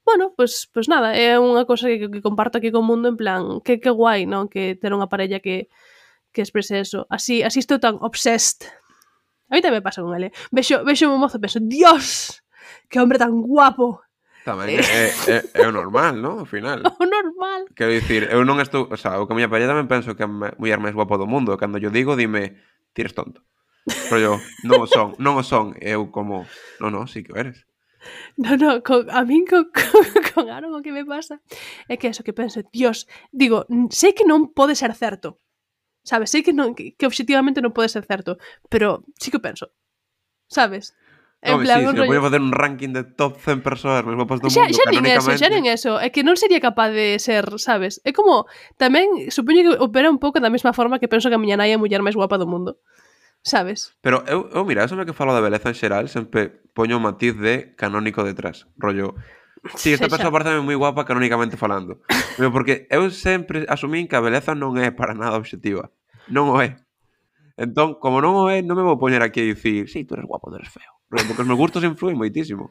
bueno, pues nada, é unha cousa que comparto aquí co mundo en plan, que guai, non? Que ter unha parella que exprese eso. Así estou tan obsessed. A mí tamén me pasa con ele. Vexo un mozo e penso, Dios, que hombre tan guapo. Tamén é o normal, non? Ao final. O normal. Quero dicir, eu non estou... O sea, o que a miña parella tamén penso que é a muller máis guapa do mundo. Cando yo digo, dime, ti eres tonto. Rollo, non o son. E eu como, no, sí que o eres. No, a min con Aaron o que me pasa é que eso que penso, Dios, digo, sei que non pode ser certo. Sabes, sei que non que obxectivamente non pode ser certo, pero sí que o penso. Sabes? En Home, plan, sí, un se me rollo... podía facer un ranking de top 100 persoas máis guapas do Xa mundo, xa nin eso, é que non sería capaz de ser, sabes? É como, tamén, supoño que opera un pouco da mesma forma que penso que a miña nai é a muller máis guapa do mundo. Sabes? Pero mira, eso é que falo da beleza en xeral, sempre poño o matiz de canónico detrás. Rollo, sí, esta persoa parece moi guapa canónicamente falando. Pero porque eu sempre asumín que a beleza non é para nada obxectiva. Non o é. Entón, como non o é, non me vou poñer aquí a dicir, sí, tú eres guapo, tú eres feo. Porque os meus gustos influen moitísimo.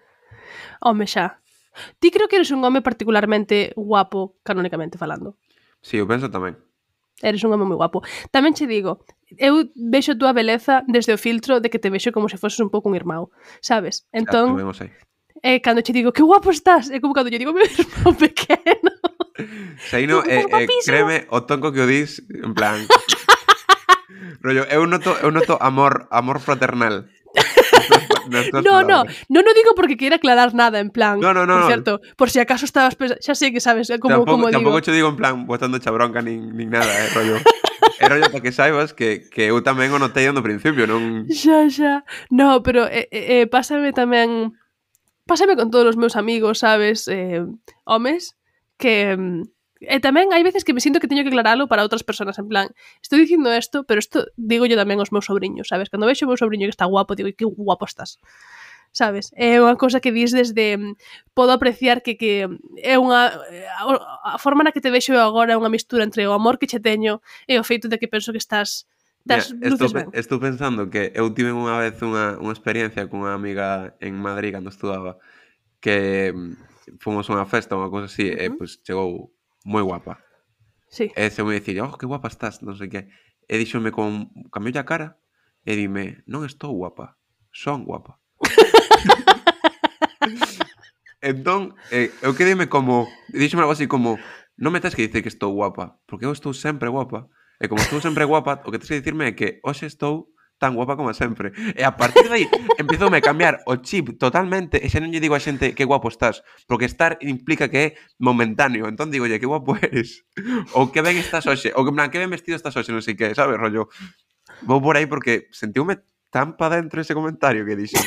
Home, xa. Ti creo que eres un home particularmente guapo canónicamente falando. Sí, eu penso tamén. Eres un home moi guapo. Tamén che digo, eu vexo a túa beleza desde o filtro de que te vexo como se foses un pouco un irmão, sabes? Entón, Tamén o sei. cando che digo, que guapo estás, é como cando yo digo, meu irmão pequeno. Sei no, créeme, o tonco que o dis, en plan... rollo, eu noto amor fraternal. Non o digo porque queira aclarar nada, en plan, No. por certo, por si acaso estabas pensando, xa sei que sabes como digo. Tampouco te digo en plan botando cha bronca nin nada, rollo. É rollo para que saibas que eu tamén o notei no principio, non... Xa. No, pero pásame tamén... Pásame con todos os meus amigos, sabes, homes, que... E tamén hai veces que me sinto que teño que aclaralo para outras persoas, en plan, estou dicindo isto, pero isto digo yo tamén aos meus sobrinhos, sabes? Cando vexo o meu sobrinho que está guapo, digo, que guapo estás. Sabes? É unha cousa que dis desde... Podo apreciar que é unha... A forma na que te vexo eu agora é unha mistura entre o amor que che teño e o feito de que penso que estás luces ben. Estou pensando que eu tive unha vez unha experiencia cunha amiga en Madrid cando estudaba que fomos a unha festa ou unha cousa así e pois chegou moi guapa. Sí. E se me dicir, que guapa estás, non sei que. E díxome cambioulle a cara e dime, non estou guapa, son guapa. Entón, eu quedeme como, díxome algo así como, non me tens que dicir que estou guapa, porque eu estou sempre guapa. E como estou sempre guapa, o que tens que dicirme é que hoxe estou tan guapa como sempre. E a partir de aí, empezoume a cambiar o chip totalmente, e xa non lle digo a xente que guapo estás, porque estar implica que é momentáneo. Entón digo, que guapo eres. Ou que ben estás hoxe, ou que en plan, que ben vestido estás hoxe, non sei que, sabes, rollo. Vou por aí porque sentiume tan pa dentro ese comentario que dixo.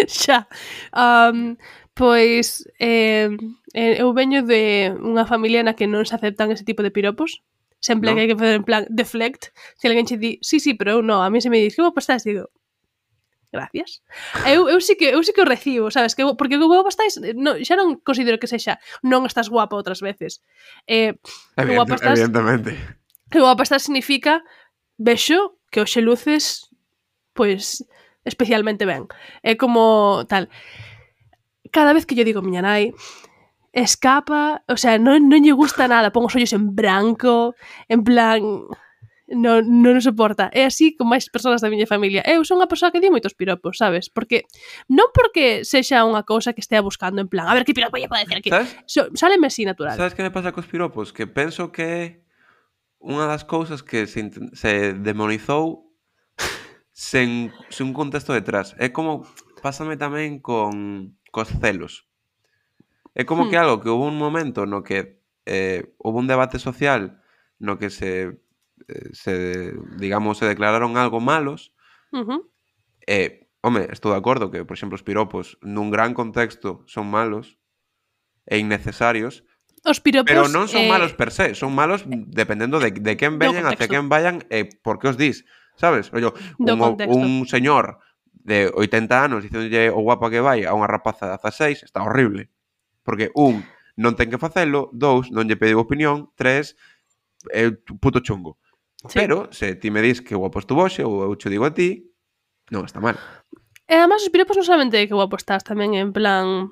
Xa. Pois, eu veño de unha familia na que non se aceptan ese tipo de piropos. Sempre que hai que facer en plan deflect, se alguén che di, sí, pero eu non, a mí se me di, que guapo estás, digo, gracias. Eu sí que o recibo, sabes, porque que guapo estás, xa non considero que sexa, non estás guapa outras veces. Que guapa estás, evidentemente. Que guapa estás significa, vexo que hoxe luces, pois, especialmente ben. É como tal. Cada vez que yo digo miña nai, escapa, o sea, non lle gusta nada, pon os ollos en branco, en plan, non o soporta. É así con máis persoas da miña familia. Eu son unha persoa que di moitos piropos, sabes? Porque non porque sexa unha cousa que estea buscando en plan, a ver que piropo lle pode decir aquí. Sáleme así natural. Sabes que me pasa cos piropos? Que penso que é unha das cousas que se demonizou sen un contexto detrás. É como pásame tamén cos celos. É como que algo que houve un momento no que houve un debate social no que se declararon algo malos. Home, estou de acordo que, por exemplo, os piropos nun gran contexto son malos e innecesarios. Os piropos, pero non son malos per se, son malos dependendo de quen veñan, hacia quen vayan e por que os dis. sabes? Rollo, Do contexto. un señor de 80 anos dicéndolle o guapa que vai a unha rapaza de 16 está horrible. Porque, non ten que facelo, 2, non lle pediu opinión, 3, é puto chungo. Sí. Pero, se ti me dis que guapo estuvo hoxe, ou eu che digo a ti, non está mal. E además os piropos non solamente que guapo estás, tamén en plan...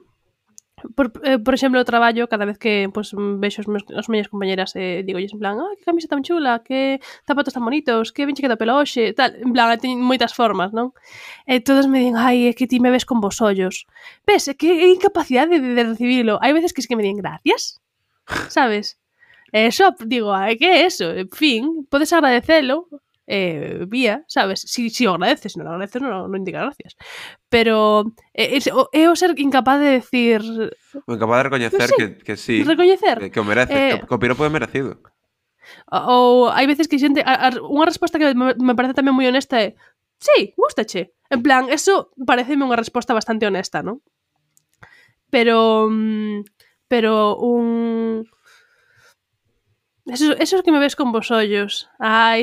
Por exemplo, o traballo, cada vez que pues, vexo as miñas compañeras digo en plan, que camisa tan chula, que zapatos tan bonitos, que ben che queda pelo hoxe, tal, en plan, teñen moitas formas, non? E todos me din, é que ti me ves con vos ollos. Ves, é que é incapacidade de recibilo. Hai veces que es que me din gracias, sabes? Eso, digo, que é eso? En fin, podes agradecelo, vía, sabes? Si o agradeces, non agradeces, non indica gracias. Pero é o ser incapaz de decir... O incapaz de recoñecer que sí, recoñecer. que o merece, que o piropo é merecido. Ou hai veces que xente... Unha resposta que me parece tamén moi honesta é sí, gústache. En plan, eso pareceme unha resposta bastante honesta, non? Pero un... Eso que me ves con vos ollos.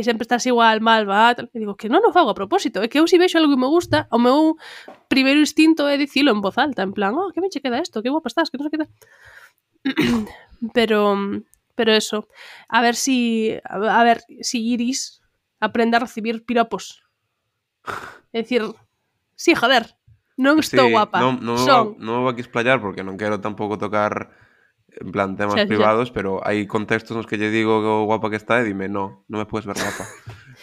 Sempre estás igual, mal, va. E digo, que non o fago a propósito. É que eu si vexo algo que me gusta, o meu primeiro instinto é dicilo en voz alta. En plan, que ben che queda isto, que guapa estás, que non se queda... pero eso. A ver si Iris aprende a recibir piropos. É dicir, sí, joder, non estou guapa. Non vou aquí explayar porque non quero tampouco tocar... en plan, temas privados, pero hai contextos nos que lle digo que o guapa que está e dime, non me puedes ver guapa.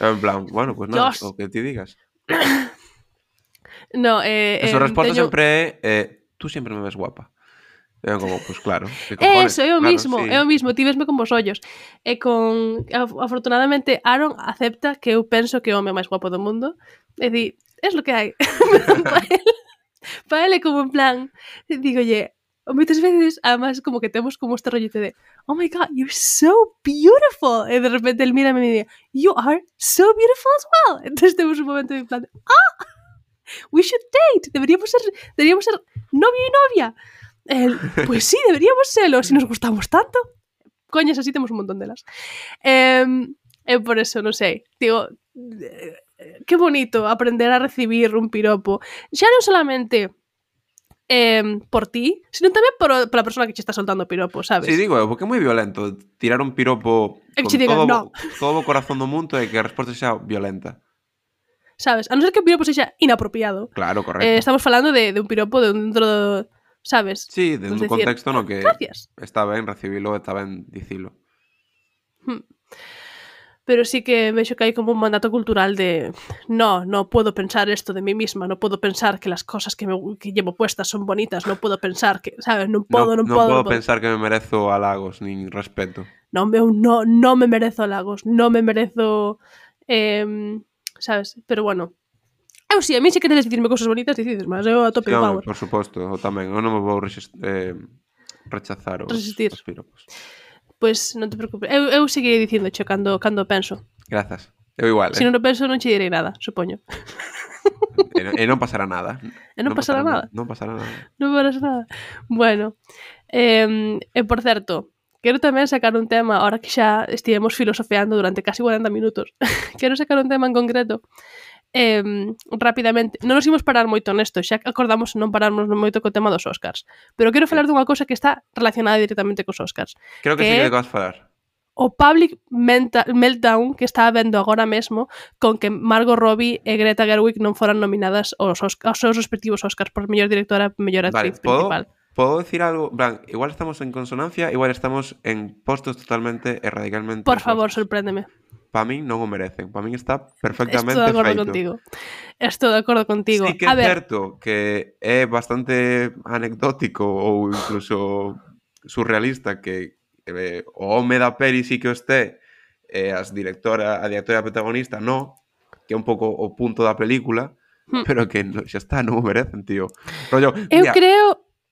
En plan, bueno, pues nada, o que ti digas. No, Esa resposta sempre é, tú sempre me ves guapa. E como, pues claro. Eso, é o mismo, sí. É o mismo, ti vesme con vos ollos. E afortunadamente, Aaron acepta que eu penso que é o home máis guapo do mundo. É dicir, es lo que hai. Para ele como en plan, digolle, moitas veces, además, como que temos como este rollete de oh my god, you're so beautiful. E de repente él mira e me dice, you are so beautiful as well. Entonces temos un momento de plan, we should date. Deberíamos ser novio e novia. Pues sí, deberíamos serlo, si nos gustamos tanto. Coñas, así temos un montón delas. Por eso, non sei. Digo, que bonito aprender a recibir un piropo. Xa non solamente... por ti, sino tamén por a persona que che está soltando o piropo, sabes? Sí, digo, porque é moi violento tirar un piropo con todo o corazón do mundo e que a resposta xa violenta. Sabes? A non ser que o piropo sexa inapropiado. Claro, correcto. Estamos falando de un piropo dentro do... Sabes? Sí, de un contexto no que gracias. Está ben recibilo, está ben dicilo. Pero sí que vexo que hai como un mandato cultural de no puedo pensar esto de mí misma, no puedo pensar que las cosas que llevo puestas son bonitas, no puedo pensar que, sabes, non podo pensar que me merezo halagos nin respeto. Non me merezo halagos, non me merezo sabes, pero bueno. Eu si, a mí se queredes dicirme cousas bonitas, dicides, mas eu a tope power. Por suposto, eu tamén, eu non me vou rechazar os piropos. Pois non te preocupes. Eu seguirei dicíndoche cando penso. Grazas. Eu igual, Se non o penso non che direi nada, supoño. E non pasará nada. Non pasará nada. Non pasará nada. Non pasará nada. Bueno, por certo, quero tamén sacar un tema, ahora que xa estivemos filosofeando durante casi 40 minutos. Quero sacar un tema en concreto. Rapidamente, non nos imos parar moito nesto, xa acordamos non pararnos moito co tema dos Oscars, pero quero falar dunha cousa que está relacionada directamente cos Oscars. Creo que sí que vas falar. O public meltdown que está habendo agora mesmo con que Margot Robbie e Greta Gerwig non foran nominadas aos seus respectivos Oscars por mellor directora e mellor actriz principal. ¿Puedo decir algo? Blan, igual estamos en consonancia, igual estamos en postos totalmente e radicalmente por favor, sorpréndeme. Para min non o merecen. Para min está perfectamente feito. Estou de acordo contigo. Sí que é certo que é bastante anecdótico ou incluso surrealista que o home da peli sí que o esté a directora protagonista que é un pouco o punto da película, pero que xa está, non o merecen, tío. Rollo,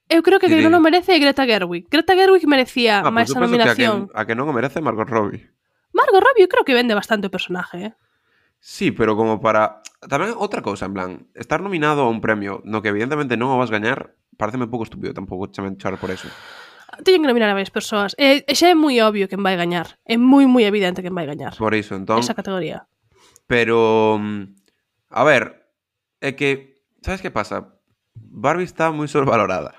Eu creo que non o merece Greta Gerwig. Greta Gerwig merecía máis a nominación. A que non o merece Margot Robbie. Margot Robbie eu creo que vende bastante o personaje, Sí, pero como para... Tamén outra cousa, en plan, estar nominado a un premio no que evidentemente non o vas gañar, pareceme pouco estúpido tampouco chamen char por eso. Teñen que nominar a varias persoas. Xa é moi obvio quen vai gañar. É moi evidente quen vai gañar. Por iso, entón... Esa categoría. Pero, a ver, é que, sabes que pasa? Barbie está moi sobrevalorada.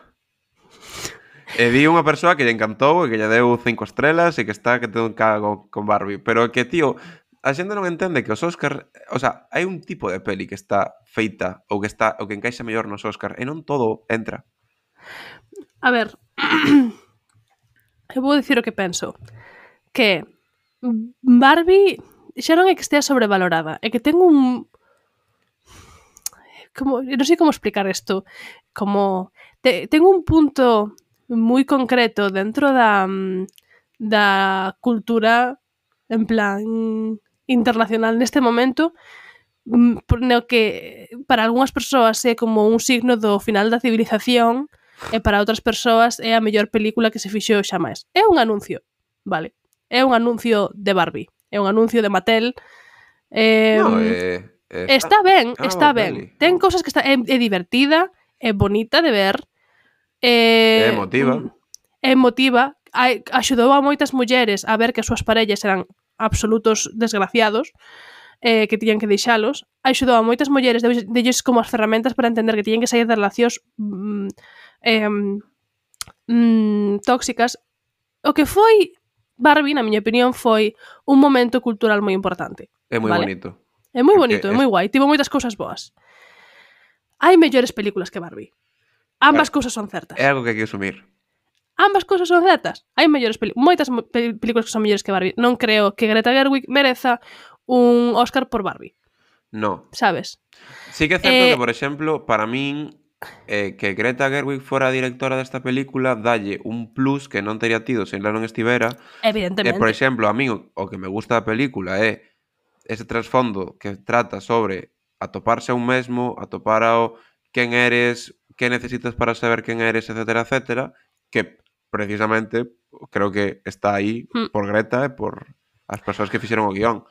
E vi unha persoa que lle encantou e que lle deu 5 estrelas e que está que ten un cago con Barbie. Pero que, tío, a xente non entende que os Óscar... O sea, hai un tipo de peli que está feita ou que encaixa mellor nos Óscar e non todo entra. A ver, eu vou dicir o que penso. Que Barbie xa non é que estea sobrevalorada, é que ten un... non sei como explicar isto. Como... ten un punto moi concreto dentro da cultura en plan internacional neste momento, no que para algunhas persoas é como un signo do final da civilización e para outras persoas é a mellor película que se fixo xa máis. É un anuncio, vale? É un anuncio de Barbie, é un anuncio de Mattel. No, Está ben, está ben. Peli. Ten cousas que é divertida, é bonita de ver. É emotiva. É emotiva. Axudou a moitas mulleres a ver que as súas parellas eran absolutos desgraciados, que tiñan que deixalos. Axudou a moitas mulleres, delles como as ferramentas para entender que tiñen que sair de relacións tóxicas. O que foi Barbie, na miña opinión, foi un momento cultural moi importante. É moi vale? bonito. É moi bonito, é moi guai. Tivo moitas cousas boas. Hai mellores películas que Barbie. Ambas cousas son certas. É algo que hai que asumir. Ambas cousas son certas. Hai mellores moitas películas que son mellores que Barbie. Non creo que Greta Gerwig mereza un Óscar por Barbie. No. Sabes? Sí que é certo que, por exemplo, para min que Greta Gerwig fora a directora desta película dalle un plus que non teria tido se ela non estivera. Evidentemente. Por exemplo, a min o que me gusta da película é ese trasfondo que trata sobre atoparse a un mesmo, atopar ao quen eres, que necesitas para saber quen eres, etcétera, etcétera, que precisamente creo que está aí por Greta e por as persoas que fixeron o guión.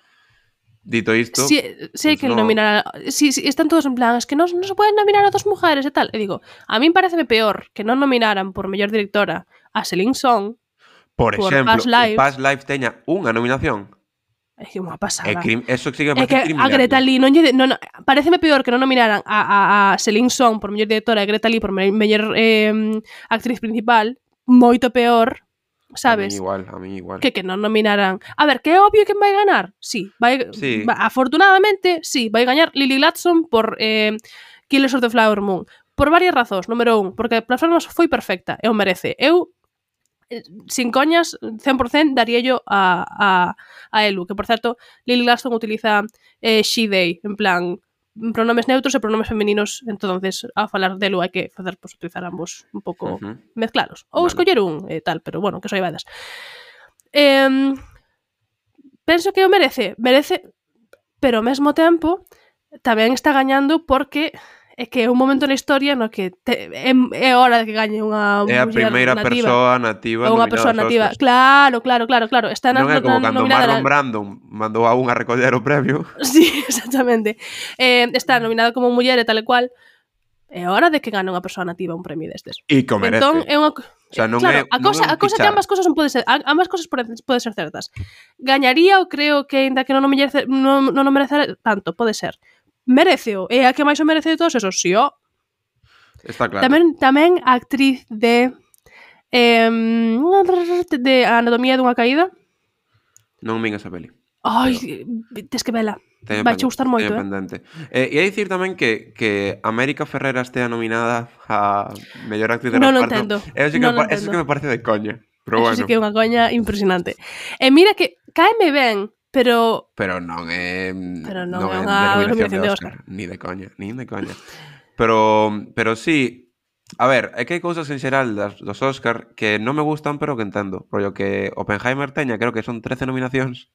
Dito isto... Sí, sei que nominar... Sí, están todos en plan, es que non se pueden nominar a dos mujeres e tal. E digo, a min pareceme peor que non nominaran por mellor directora a Celine Song por exemplo, Past Lives teña unha nominación. É que unha pasada. Eso sí que me parece criminal. A Greta Lee pareceme peor que non nominaran a Celine Song por mellor directora e a Greta Lee por mellor actriz principal, moito peor, sabes? A mí igual. Que non nominaran. A ver, que é obvio que vai ganar. Sí, afortunadamente, sí, vai gañar Lily Gladstone por Killers of the Flower Moon. Por varias razóns. Número 1, porque a performance foi perfecta e o merece. Eu sin coñas, 100% daríallo a Elu, que por certo Lily Gladstone utiliza she, they, en plan pronomes neutros e pronomes femininos, entonces a falar de Elu hai que facer, pues, utilizar ambos un pouco mezclaros, ou escoller un tal, pero bueno, que soy vadas. Penso que o merece, pero ao mesmo tempo tamén está gañando porque é que é un momento na historia no que é hora de que gañe unha é a primeira persoa nativa unha persoa nativa. Claro. Está non é como cando Marlon Brando mandou a unha a recoller o premio. Sí, exactamente. Está nominada como muller e tal e cual. É hora de que gane unha persoa nativa un premio destes. E que o merece. Entón, é unha... O sea, non claro, é, a cosa que ambas cosas non pode ser, ambas cosas pode ser certas. Gañaría, eu creo que ainda que non merecer tanto, pode ser. Mereceo, é a que máis o merece de todos esos, sí, ó. Está claro. Tamén a actriz de Anatomía dunha caída. Non vin esa peli. Ai, tes que vela. Vai che gustar moito, E a dicir tamén que América Ferrera estea nominada a mellor actriz de reparto. Non entendo. Eso que me parece de coña. Pero bueno. Eso sí que é unha coña impresionante. E mira que caeme ben, pero non é unha nominación de Óscar. Ni de coña. Pero sí, a ver, é que hai cousas en xeral dos Óscar que non me gustan, pero que entendo. Rollo que Oppenheimer teña, creo que son 13 nominacións.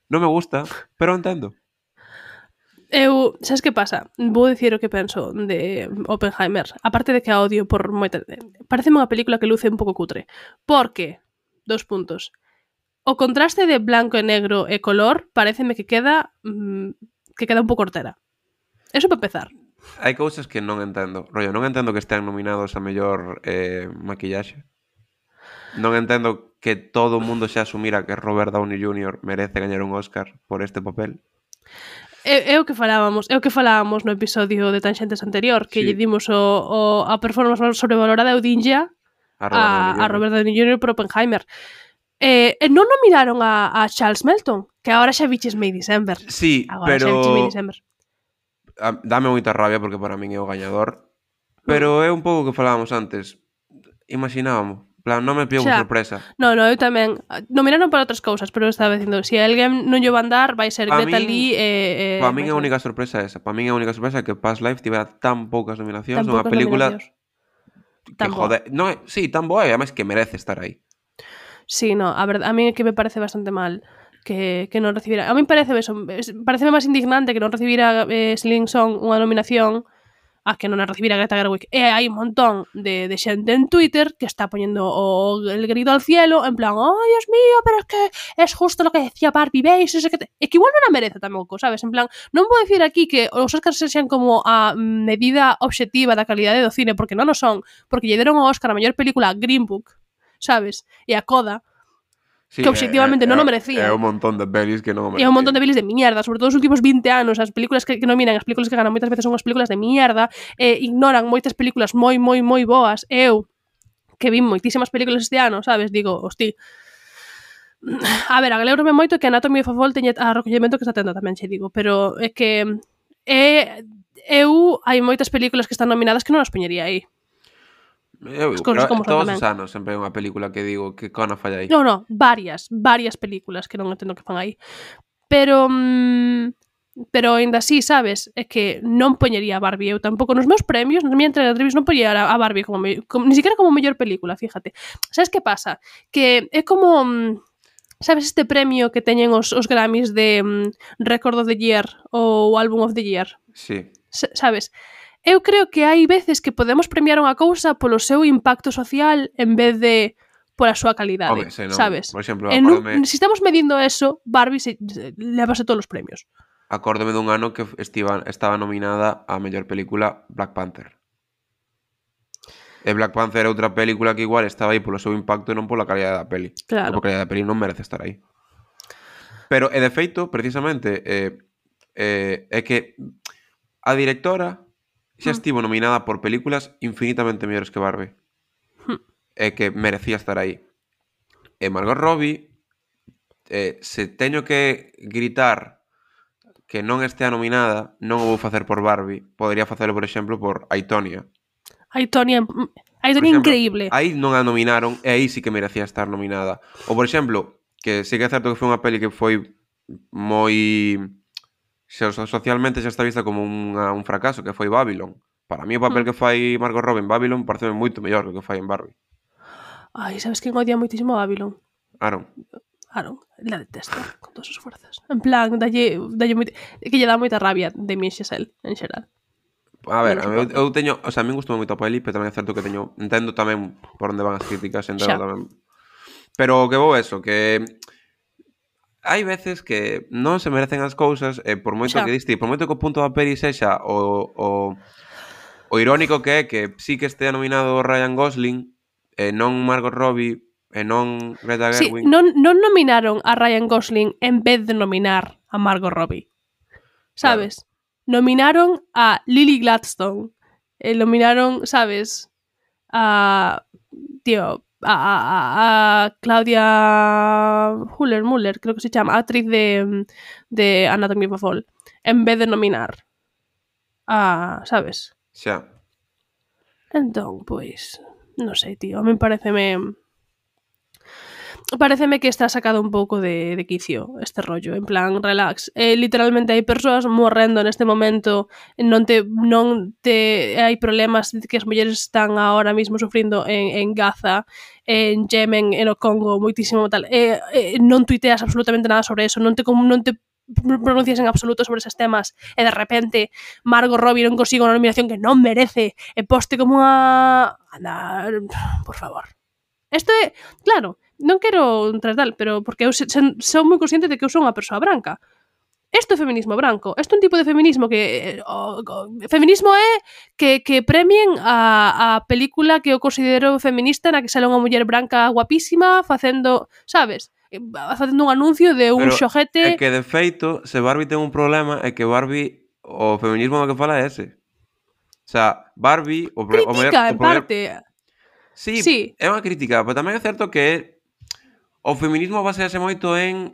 Non me gusta, pero entendo. Sabes que pasa? Vou dicir o que penso de Oppenheimer. Aparte de que a odio por moita... Pareceme unha película que luce un pouco cutre. Porque, 2 puntos... O contraste de blanco e negro e color pareceme que queda un pouco hortera. Eso para empezar. Hai cousas que non entendo. Rollo, non entendo que estean nominados a mellor maquillaxe. Non entendo que todo o mundo xa asumira que Robert Downey Jr. merece gañar un Óscar por este papel. É o que falábamos no episodio de Tanxentes anterior, que Sí. lle dimos a performance sobrevalorada de Odinja a Robert Downey Jr. por Oppenheimer. Non nominaron a Charles Melton, que agora xa viches May December. Sí, Agora xa viches May December. dame moita rabia porque para min é o gañador. Pero é un pouco o que falábamos antes. Imaginábamos. Plan, non me pillou Xa. sorpresa. No, eu tamén. Nominaron para outras cousas, pero eu estaba dicindo, se alguén non lle van dar, vai ser Pa Greta min- Lee Para min vai a ser- única sorpresa é esa. Para min a única sorpresa é que Past Life tivera tan poucas nominacións tan nunha poucas película nominacións. que Tan boa. joder, non é, sí, tan boa e además que merece estar aí. Sí, no, a verdade, a mí é que me parece bastante mal que non recibira. A mí parece pareceme máis indignante que non recibira Sling Song unha nominación a que non a recibira Greta Gerwig. E hai un montón de xente en Twitter que está poñendo el grito al cielo en plan, oh, Dios mío, pero es que es justo lo que decía Barbie, ¿veis? É que igual non a merece tampouco, sabes? En plan, non vou dicir aquí que os Oscars sexan como a medida obxectiva da calidade do cine, porque non o son, porque lle deron o Oscar a mellor película Green Book, sabes? E a Coda, Sí, que obxectivamente non o merecía. É un montón de pelis que non o E merecía. un montón de pelis de mierda, sobre todo os últimos 20 anos, as películas que nominan, as películas que ganan moitas veces son as películas de mierda, ignoran moitas películas moi boas. Eu, que vi moitísimas películas este ano, sabes, digo, hosti, a ver, alégrome moito que Anatomy of a Fall teña a recollemento que está tendo tamén, che digo, pero é que hai moitas películas que están nominadas que non as poñería aí. Eu, As cousas como son todos tamén. os anos sempre hai unha película que digo que cona falla aí. No, varias películas que non entendo que fan aí. Pero ainda así, sabes, é que non poñería a Barbie. Eu tampouco nos meus premios, nas miñas entrevistas non poñería a Barbie ni siquiera como mellor película, fíjate. Sabes que pasa? Que é como sabes este premio que teñen os Grammys de Record of the Year ou Album of the Year? Sí. Sabes? Eu creo que hai veces que podemos premiar unha cousa polo seu impacto social en vez de pola súa calidade, Home, se non, sabes? por exemplo, Si estamos medindo eso, Barbie lévase todos os premios. Acórdome dun ano que estaba nominada a mellor película Black Panther. E Black Panther é outra película que igual estaba aí polo seu impacto e non pola calidade da peli. Claro. Porque a calidade da peli non merece estar aí. Pero, de feito, precisamente, é que a directora xa estivo nominada por películas infinitamente mellores que Barbie. E que merecía estar aí. E Margot Robbie, se teño que gritar que non estea nominada, non o vou facer por Barbie. Podería facelo, por exemplo, por Aitonia. Aitonia increíble. Aí non a nominaron e aí sí que merecía estar nominada. Ou, por exemplo, que sí que é certo que foi unha peli que foi moi socialmente xa está vista como un fracaso, que foi Babylon. Para mí o papel que fai Margot Robbie en Babylon parece moito mellor que o que fai en Barbie. Ai, sabes quen odia moitísimo a Babylon? Aaron, la detesta con todas as fuerzas. En plan, dalle que lle dá moita rabia de mi Xesel, en xeral. a ver, eu teño, o sea, a min gustou moito a peli, pero tamén é certo que entendo tamén por onde van as críticas, entendo tamén. Pero o que vou eso, que hai veces que non se merecen as cousas e por moito que diste, por moito que o punto da peli sexa o irónico que é que sí que estea nominado Ryan Gosling e non Margot Robbie e non Greta Gerwig. Sí, non nominaron a Ryan Gosling en vez de nominar a Margot Robbie. Sabes? Claro. Nominaron a Lily Gladstone. Nominaron, sabes, a Claudia Muller, creo que se chama, actriz de Anatomy of a Fall, en vez de nominar a, sabes? Xa. Entón, pois, non sei, tío, a mí pareceme que está sacado un pouco de quicio este rollo, en plan, relax. Literalmente hai persoas morrendo neste momento, non hai problemas que as mulleres están ahora mismo sufrindo en Gaza, en Yemen, en o Congo, moitísimo tal. Non tuiteas absolutamente nada sobre eso, non te pronuncias en absoluto sobre eses temas e de repente Margot Robbie non consigo unha nominación que non merece e poste como unha... Anda, por favor. Isto é, claro, non quero entrar tal, pero porque eu son moi consciente de que eu son unha persoa branca. Isto é feminismo branco. Isto é un tipo de feminismo que... feminismo é que premien a película que eu considero feminista na que sale unha muller branca guapísima facendo, sabes? facendo un anuncio de un Pero é xoguete. que, de feito, se Barbie ten un problema, é que Barbie, o feminismo do que fala é ese. O sea, Barbie, o Critica, en problema... parte. Sí, Sí. é unha crítica, pero tamén é certo que o feminismo basease moito en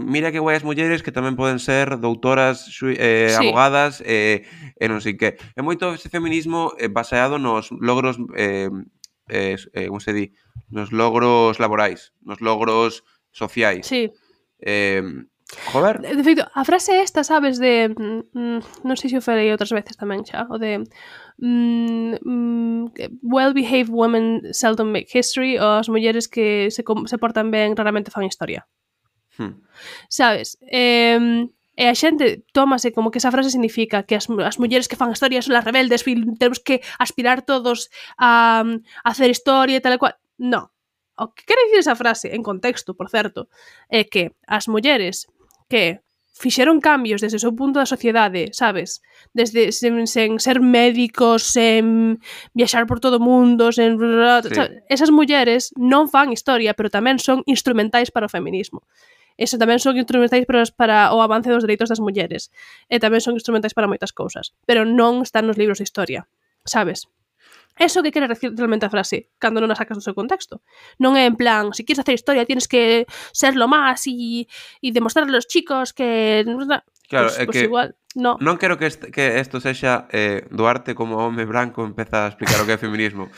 mira que guai as mulleres que tamén poden ser doutoras, Sí. abogadas e non sei que. É moito ese feminismo baseado nos logros como se di? Nos logros laborais, nos logros sociais. Sí. Joder. De feito, a frase esta, sabes, de non sei se o falei outras veces tamén xa, o de well-behaved women seldom make history, ou as mulleres que se portan ben raramente fan historia. Sabes? E a xente tómase como que esa frase significa que as mulleres que fan historia son as rebeldes, temos que aspirar todos a hacer historia e tal e cual. No. O que quere dicir esa frase, en contexto, por certo, é que as mulleres que fixeron cambios desde o seu punto da sociedade, sabes? Desde sen ser médicos, sen viaxar por todo o mundo, sen... Sí. Esas mulleres non fan historia, pero tamén son instrumentais para o feminismo. Eso tamén son instrumentais para o avance dos dereitos das mulleres. E tamén son instrumentais para moitas cousas. Pero non están nos libros de historia, sabes? Eso que quere decir realmente a frase cando non a sacas do seu contexto. Non é en plan, si quieres hacer historia tienes que ser lo más y demostrar a los chicos que... Claro, pues que igual, no. Non quero que isto sexa Duarte como home branco empeza a explicar o que é feminismo.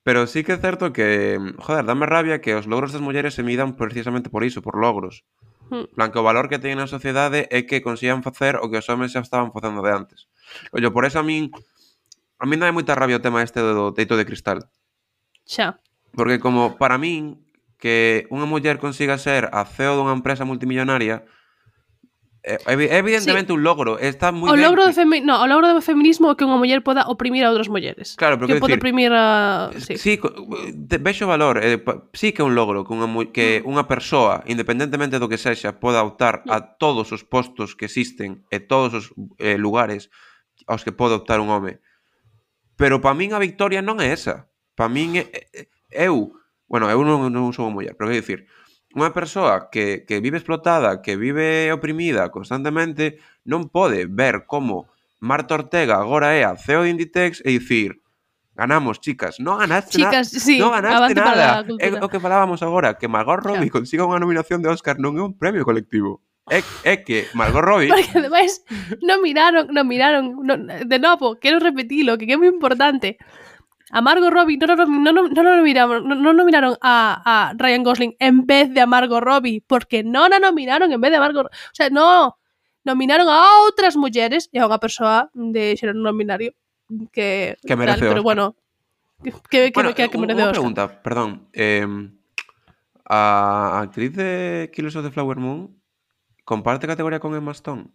Pero sí que é certo que, joder, dame rabia que os logros das mulleres se midan precisamente por iso, por logros. Plan, que o valor que teñen na sociedade é que consigan facer o que os homens xa estaban facendo de antes. Ollo, por eso a min dá moita rabia o tema este do teito de cristal. Xa. Porque como para min que unha muller consiga ser a CEO dunha empresa multimillonaria é evidentemente un logro, está moi ben. O logro do feminismo é que unha muller poda oprimir a outras mulleres. Claro, pero que poda oprimir a... Sí, vexo valor, sí que é un logro que unha persoa, independentemente do que sexa, poda optar a todos os postos que existen e todos os lugares aos que pode optar un home. Pero para min a victoria non é esa. Para min eu non sou unha muller, pero quero dicir, unha persoa que vive explotada, que vive oprimida constantemente, non pode ver como Marta Ortega agora é a CEO de Inditex e dicir, ganamos, chicas, non ganaste nada. Sí, non ganaste nada. É o que falábamos agora, que Margot Robbie consiga unha nominación de Oscar non é un premio colectivo. É que Margot Robbie... Porque ademais non miraron, de novo, quero repetilo, que é moi importante. A Margot Robbie non nominaron a Ryan Gosling en vez de a Margot Robbie, porque non a nominaron en vez de a Margot Robbie. O sea, no, nominaron a outras mulleres e a unha persoa de xénero non binario que merece pero bueno, que merece Oscar. Unha pregunta, perdón. A actriz de Killers of the Flower Moon comparte categoría con Emma Stone?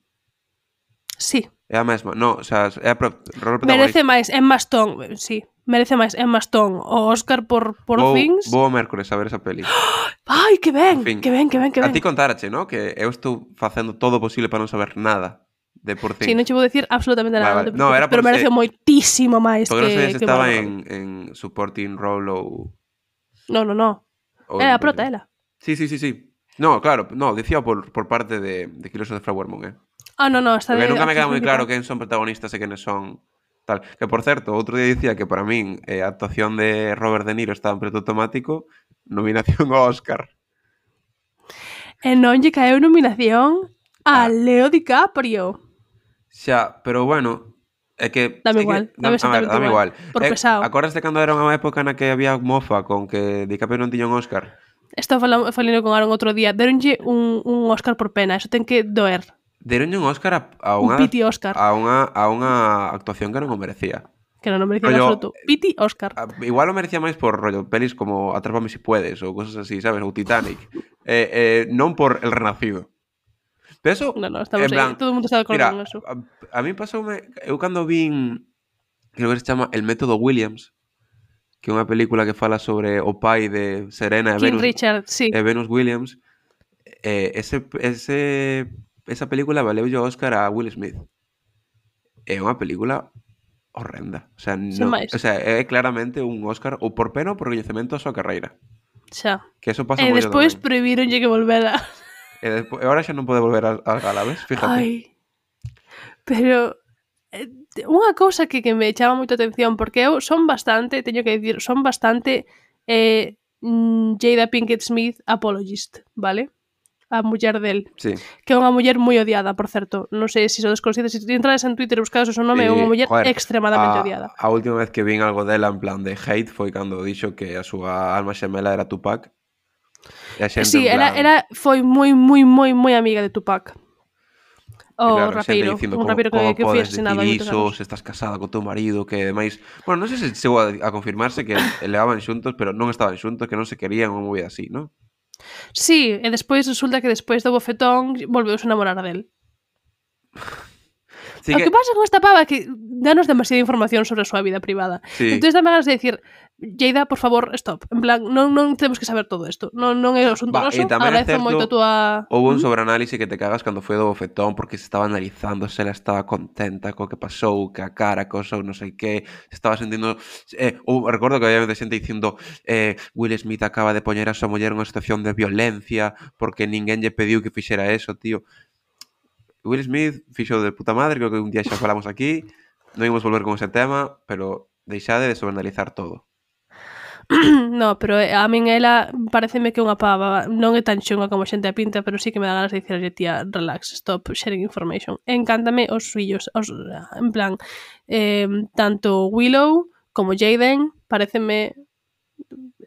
Sí. É a mesma? No, o sea, é a rol protagonista. Merece máis Emma Stone, sí. Merece máis Emma Stone o Oscar por Things. Vou o mércores a ver esa peli. Ai, que ben, que ben. A ti contarache, ¿no? Que eu estou facendo todo o posible para non saber nada de Poor Things. Sí, non che vou decir absolutamente nada. Vale. No, era pero merece moitísimo máis porque que... non sei se estaba en supporting role ou... No. Era a prota, ela. Sí. No, claro, dicía por parte de Killers of the Flower Moon, No, está porque nunca me queda moi claro quen son protagonistas e quenes son tal. Que, por certo, outro día dicía que para min a actuación de Robert De Niro estaba en piloto automático, nominación ao Oscar. E non lle caeu nominación a Leo DiCaprio. Xa, pero bueno, é que... Dame igual, dame igual. Por pesado. Acordaste cando era unha época na que había mofa con que DiCaprio non tiña un Oscar? Estaba falando con Aaron outro día. Deronlle un Oscar por pena, eso ten que doer. Deronlle un Oscar a unha... Un piti Oscar. A unha actuación que non o merecía. Que non o merecía en absoluto. Piti Oscar. Igual o merecía máis por rollo pelis como Atrápame si puedes ou cosas así, sabes? Ou Titanic. Non por El Renacido. Pero eso... No, estamos aí. Todo o mundo está de acordo con eso. A mí pasoume... Eu cando vin... Creo que se chama El Método Williams, que é unha película que fala sobre o pai de Serena e King Richard, sí. Venus Williams. Esa película valeulle o Oscar a Will Smith. É unha película horrenda. O sea, é claramente un Oscar ou por pena ou por recoñecemento a súa carreira. Xa. Que eso pasa E moito despois tamén. prohibironlle que volvera. E agora xa non pode volver ás galas, ves? Fíjate. Ai. Pero unha cousa que me chama moito a atención, porque eu son bastante, teño que dicir, son bastante Jada Pinkett Smith apologist, vale? A muller del, Sí. que é unha muller moi odiada, por certo. Non sei se sodes conscientes, se entrades en Twitter e buscades o seu nome, é unha muller Joder, extremadamente odiada. A última vez que vin algo dela en plan de hate foi cando dixo que a súa alma xemela era Tupac. E a xente Sí, en plan... era foi moi amiga de Tupac. O claro, rapeiro, dicindo, un rapeiro como que foi podes asesinado decir hai moitos iso, anos. se estás casada co teu marido, que ademais... Bueno, non sei se chegou a confirmarse que levaban xuntos, pero non estaban xuntos, que non se querían, unha movida así, non? Sí, e despois resulta que despois do bofetón volveuse a enamorar del. Sí O que pasa con esta pava é que danos demasiada información sobre a súa vida privada. Sí. Entón dame ganas de dicir, Jada, por favor, stop. En plan, non temos que saber todo isto. Non é o asunto noso. E tamén é Agradezo certo, moito a túa... houve un sobreanálise que te cagas cando foi do bofetón porque se estaba analizando se ela estaba contenta co que pasou, que a cara, cosa ou non sei que, se estaba sentindo... recordo que había xente dicindo Will Smith acaba de poñer a súa muller nunha situación de violencia porque ninguén lle pediu que fixera eso, tío. Will Smith fixo de puta madre, creo que un día xa falamos aquí, non ímos volver con ese tema, pero deixade de sobreanalizar todo. No, pero a min ela pareceme que unha pava non é tan xunga como a xente a pinta, pero sí que me dá ganas de dicirlle, tía, relax, stop sharing information. Encántame os fillos, en plan, tanto Willow como Jaden pareceme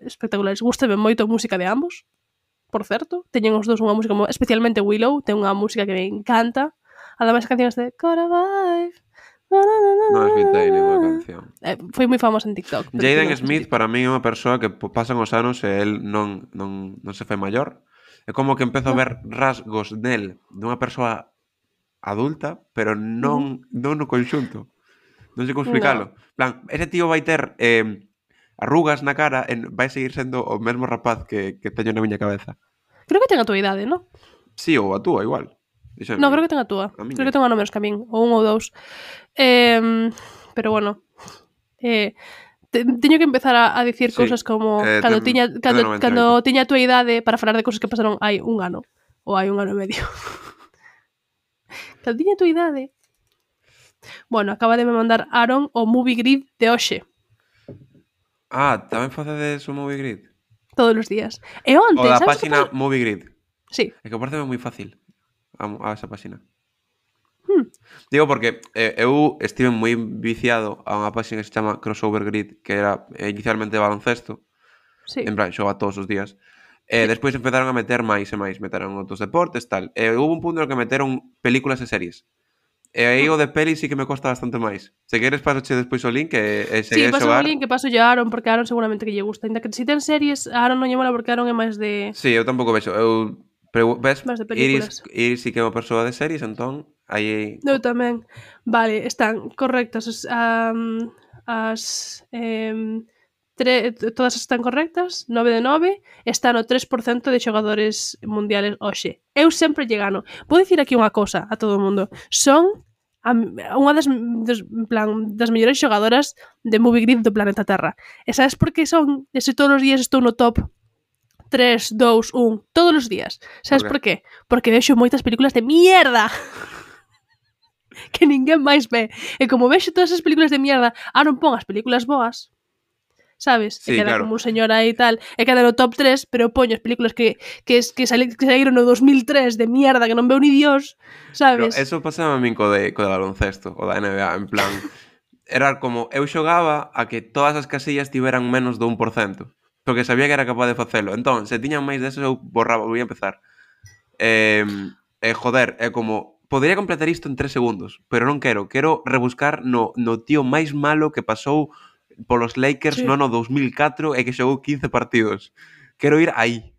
espectaculares. Gústame moito a música de ambos, por certo. Teñen os dous unha música, especialmente Willow, ten unha música que me encanta. Ademais, a canción de Gotta Vibe. Non escoitei ninguna canción. Foi moi famosa en TikTok. Jaden Smith para mí é unha persoa que pasan os anos e el non se fai maior. É como que empezo a ver rasgos nel dunha persoa adulta, pero non no conxunto. Non sei como explicalo. Plan, ese tío vai ter arrugas na cara e vai seguir sendo o mesmo rapaz que teño na miña cabeza. Creo que ten a túa idade, non? Sí, ou a túa, igual. No, creo que ten a túa. Creo que ten a menos que a min, ou un ou dous. Pero bueno, teño que empezar a dicir cousas como cando tiña a túa idade para falar de cousas que pasaron hai un ano ou hai un ano e medio. Cando tiña a túa idade. Bueno, acaba de me mandar Aaron o Movie Grid de hoxe. Tamén facedes o Movie Grid? Todos os días. E onte, o da sabes página Movie Grid. Sí. É que parece moi fácil a esa página. Digo porque eu estive moi viciado a unha página que se chama Crossover Grid, que era inicialmente baloncesto. Sí. En plan, xoga todos os días. Despois empezaron a meter máis e máis, meteron outros deportes, tal. Houve un punto no que meteron películas e series. E aí o de peli sí que me costa bastante máis. Se queres pasoche despois o link e Sí, seguir paso xogar. o link que paso a Aaron, porque a Aaron seguramente que lle gusta. Ainda que se ten series, a Aaron non lle mola porque Aaron é máis de... Sí, eu tampouco vexo. Ves, máis de películas. Iris sí que é unha persoa de series, entón aí... Eu tamén. Vale, están correctas todas están correctas, 9 de 9, está no 3% de xogadores mundiales hoxe. Eu sempre lle gano. Vou dicir aquí unha cousa a todo o mundo. Son unha das mellores xogadoras de Movie Grid do planeta Terra. E sabes por que son? Ese todos os días estou no top 3, 2, 1, todos os días. Sabes por qué? Porque vexo moitas películas de mierda que ninguén máis ve. E como vexo todas as películas de mierda, non pon as películas boas, sabes? Sí, e queda claro. como un señor aí e tal, e queda no top 3, pero poño as películas que saíron no 2003 de mierda que non veo ni Dios, sabes? Pero eso pasaba a min co de baloncesto, o da NBA, en plan... Era como, eu xogaba a que todas as casillas tiveran menos do 1%, porque sabía que era capaz de facelo. Entón, se tiñan máis desos, eu borraba, voy a empezar. Joder, é como... Podería completar isto en 3 segundos, pero non quero. Quero rebuscar no tío máis malo que pasou polos Lakers no ano 2004 e que xogou 15 partidos. Quero ir aí.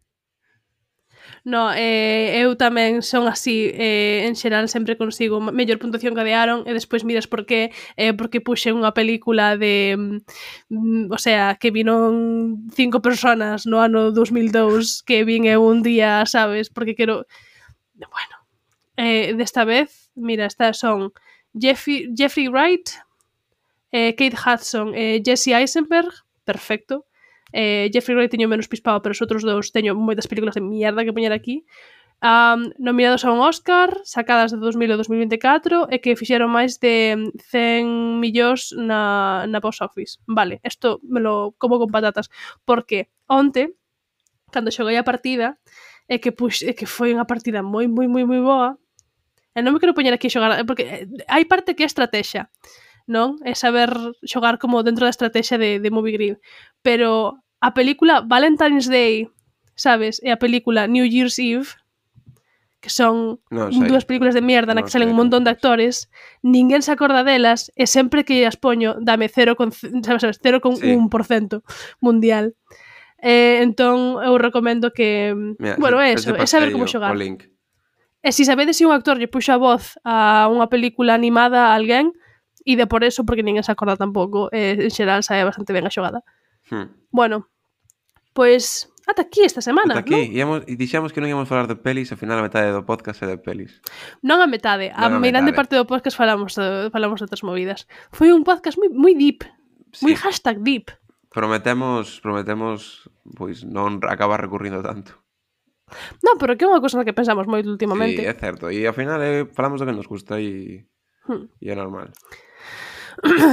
No, eu tamén son así, en xeral sempre consigo mellor puntuación que a de Aaron e despois miras por qué, porque puxe unha película de o sea, que vinon 5 personas no ano 2002 que vin eu un día, sabes, porque quero bueno, desta vez mira, estas son Jeffrey Wright, Kate Hudson, Jesse Eisenberg, perfecto, Jeffrey Wright teño menos pispado, pero os outros dous teño moitas películas de mierda que poñer aquí. Nominados a un Oscar, sacadas de 2000 e 2024 e que fixeron máis de 100 millóns na box office. Vale, isto me lo como con patatas, porque onte, cando xoguei a partida, é que foi unha partida moi boa. E non me quero poñer aquí a xogar, porque hai parte que é estrategia, non? É saber xogar como dentro da estrategia de Movie Grid. Pero a película Valentine's Day, sabes? E a película New Year's Eve, que son dúas películas de mierda na que salen un montón de actores, ninguén se acorda delas e sempre que as poño dame 0,1% mundial. Entón eu recomendo que bueno, é eso, é saber como xogar. E se sabedes se un actor lle puxo a voz a unha película animada a alguén, ide por eso, porque ninguén se acorda tampouco, en xeral sae bastante ben a xogada. Bueno, pois ata aquí esta semana, ata aquí, non? E dixemos que non íamos falar de pelis, ao final a metade do podcast é de pelis. Non a metade, a meirande parte do podcast falamos de outras movidas. Foi un podcast moi deep, moi #deep. Prometemos pois non acabar recurrindo tanto. Non, pero que é unha cousa na que pensamos moito últimamente. Sí, é certo. E ao final falamos do que nos gusta e é normal.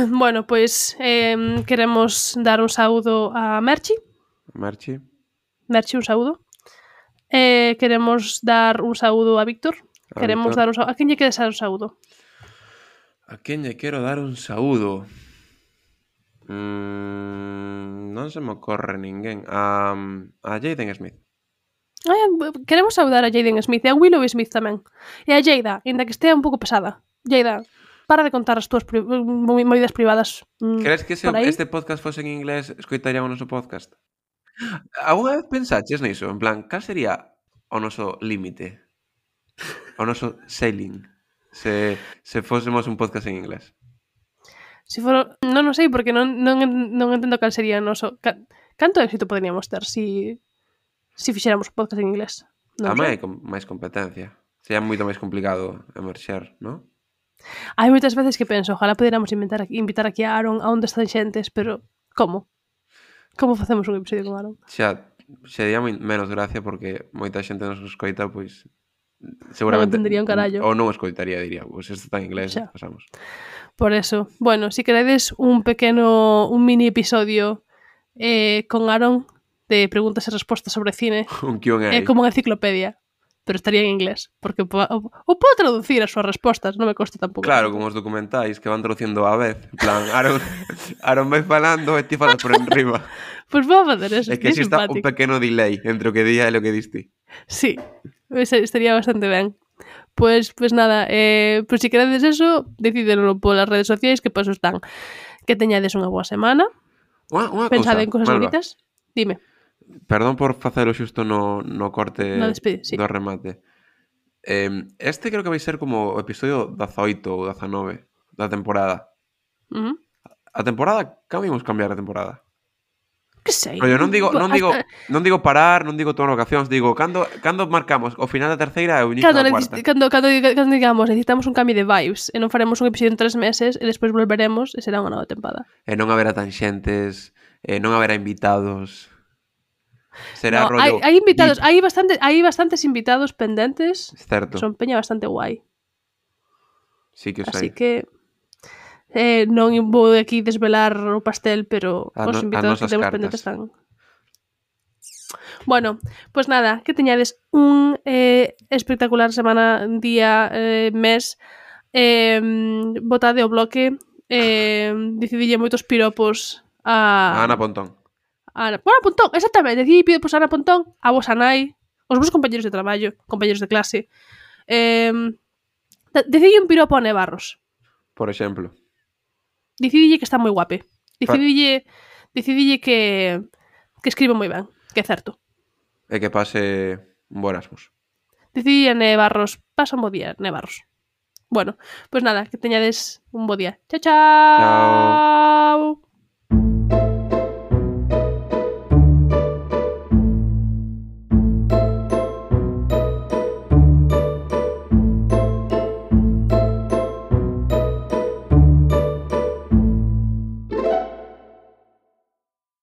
Bueno, pois queremos dar un saúdo a Merchi. Merchi, un saúdo. Queremos dar un saúdo a Víctor. Queremos dar un saúdo. A quen lle queres dar un saúdo? A quen lle quero dar un saúdo? Non se me ocorre ninguén. A Jaden Smith. Queremos saudar a Jaden Smith e a Willow Smith tamén. E a Jada, ainda que estea un pouco pesada. Jada, para de contar as túas movidas privadas. Crees que se este podcast fose en inglés escoitaría o noso podcast? Alguna vez pensaches niso? En plan, cal sería o noso límite? O noso sailing? Se fósemos un podcast en inglés? Non sei, porque non entendo cal sería o noso... Canto éxito poderíamos ter se fixéramos un podcast en inglés? Hai máis competencia. Sería moito máis complicado emerxer, non? Hai moitas veces que penso, ojalá poderamos invitar aquí a Aaron a onde están xentes, pero como? Como facemos un episodio con Aaron? Xa sería menos gracia porque moita xente nos escoita, pois seguramente non entendería un carallo. Ou non escoitaría, diría, pois isto está en inglés, pasamos. Por eso, bueno, si queredes un mini episodio con Aaron de preguntas e respostas sobre cine, un Q&A. É como unha enciclopedia, pero estaría en inglés, porque o podo traducir as súas respostas, non me costa tampouco. Claro, como os documentais que van traducindo á vez, en plan, Aaron vai falando e ti falas por enriba. Pois vou facer eso, é que así está un pequeno delay entre o que día e o que diste. Sí, estaría bastante ben. Pois nada, pois se queredes eso, decidelo polas redes sociais, que paso están. Que teñades unha boa semana. Pensade en cosas bonitas. Dime. Perdón por facelo xusto no corte do remate. Este creo que vai ser como o episodio 18 ou 19 da temporada. A temporada, cando imos cambiar a temporada? Que sei. Pero non digo parar, non digo tomar vacacións, digo cando marcamos o final da terceira e o inicio da cuarta. Cando digamos, necesitamos un cambio de vibes e non faremos un episodio en 3 meses e despois volveremos e será unha nova tempada. E non haberá tanxentes, non haberá invitados. Será rollo. Hai invitados, hai bastantes invitados pendentes. Certo. Son peña bastante guai. Sí que o sei. Así que non vou aquí desvelar o pastel, pero os invitados que temos pendentes están. Bueno, pues nada, que teñades un espectacular semana, día, mes. Botade o bloque. Decidille moitos piropos a Ana Pontón. Ana Pontón, exactamente, decidí pido a Ana Pontón, a vosa nai, os vos compañeros de traballo, compañeros de clase. Decidí un piropo a Nevarros. Por exemplo. Decidille que está moi guape. Decidille que escribe moi ben, que é certo. E que pase un bo Erasmus. Decidille a Nevarros, pasa un bo día, Nevarros. Bueno, pues nada, que teñades un bo día. Chao, chao. Chao.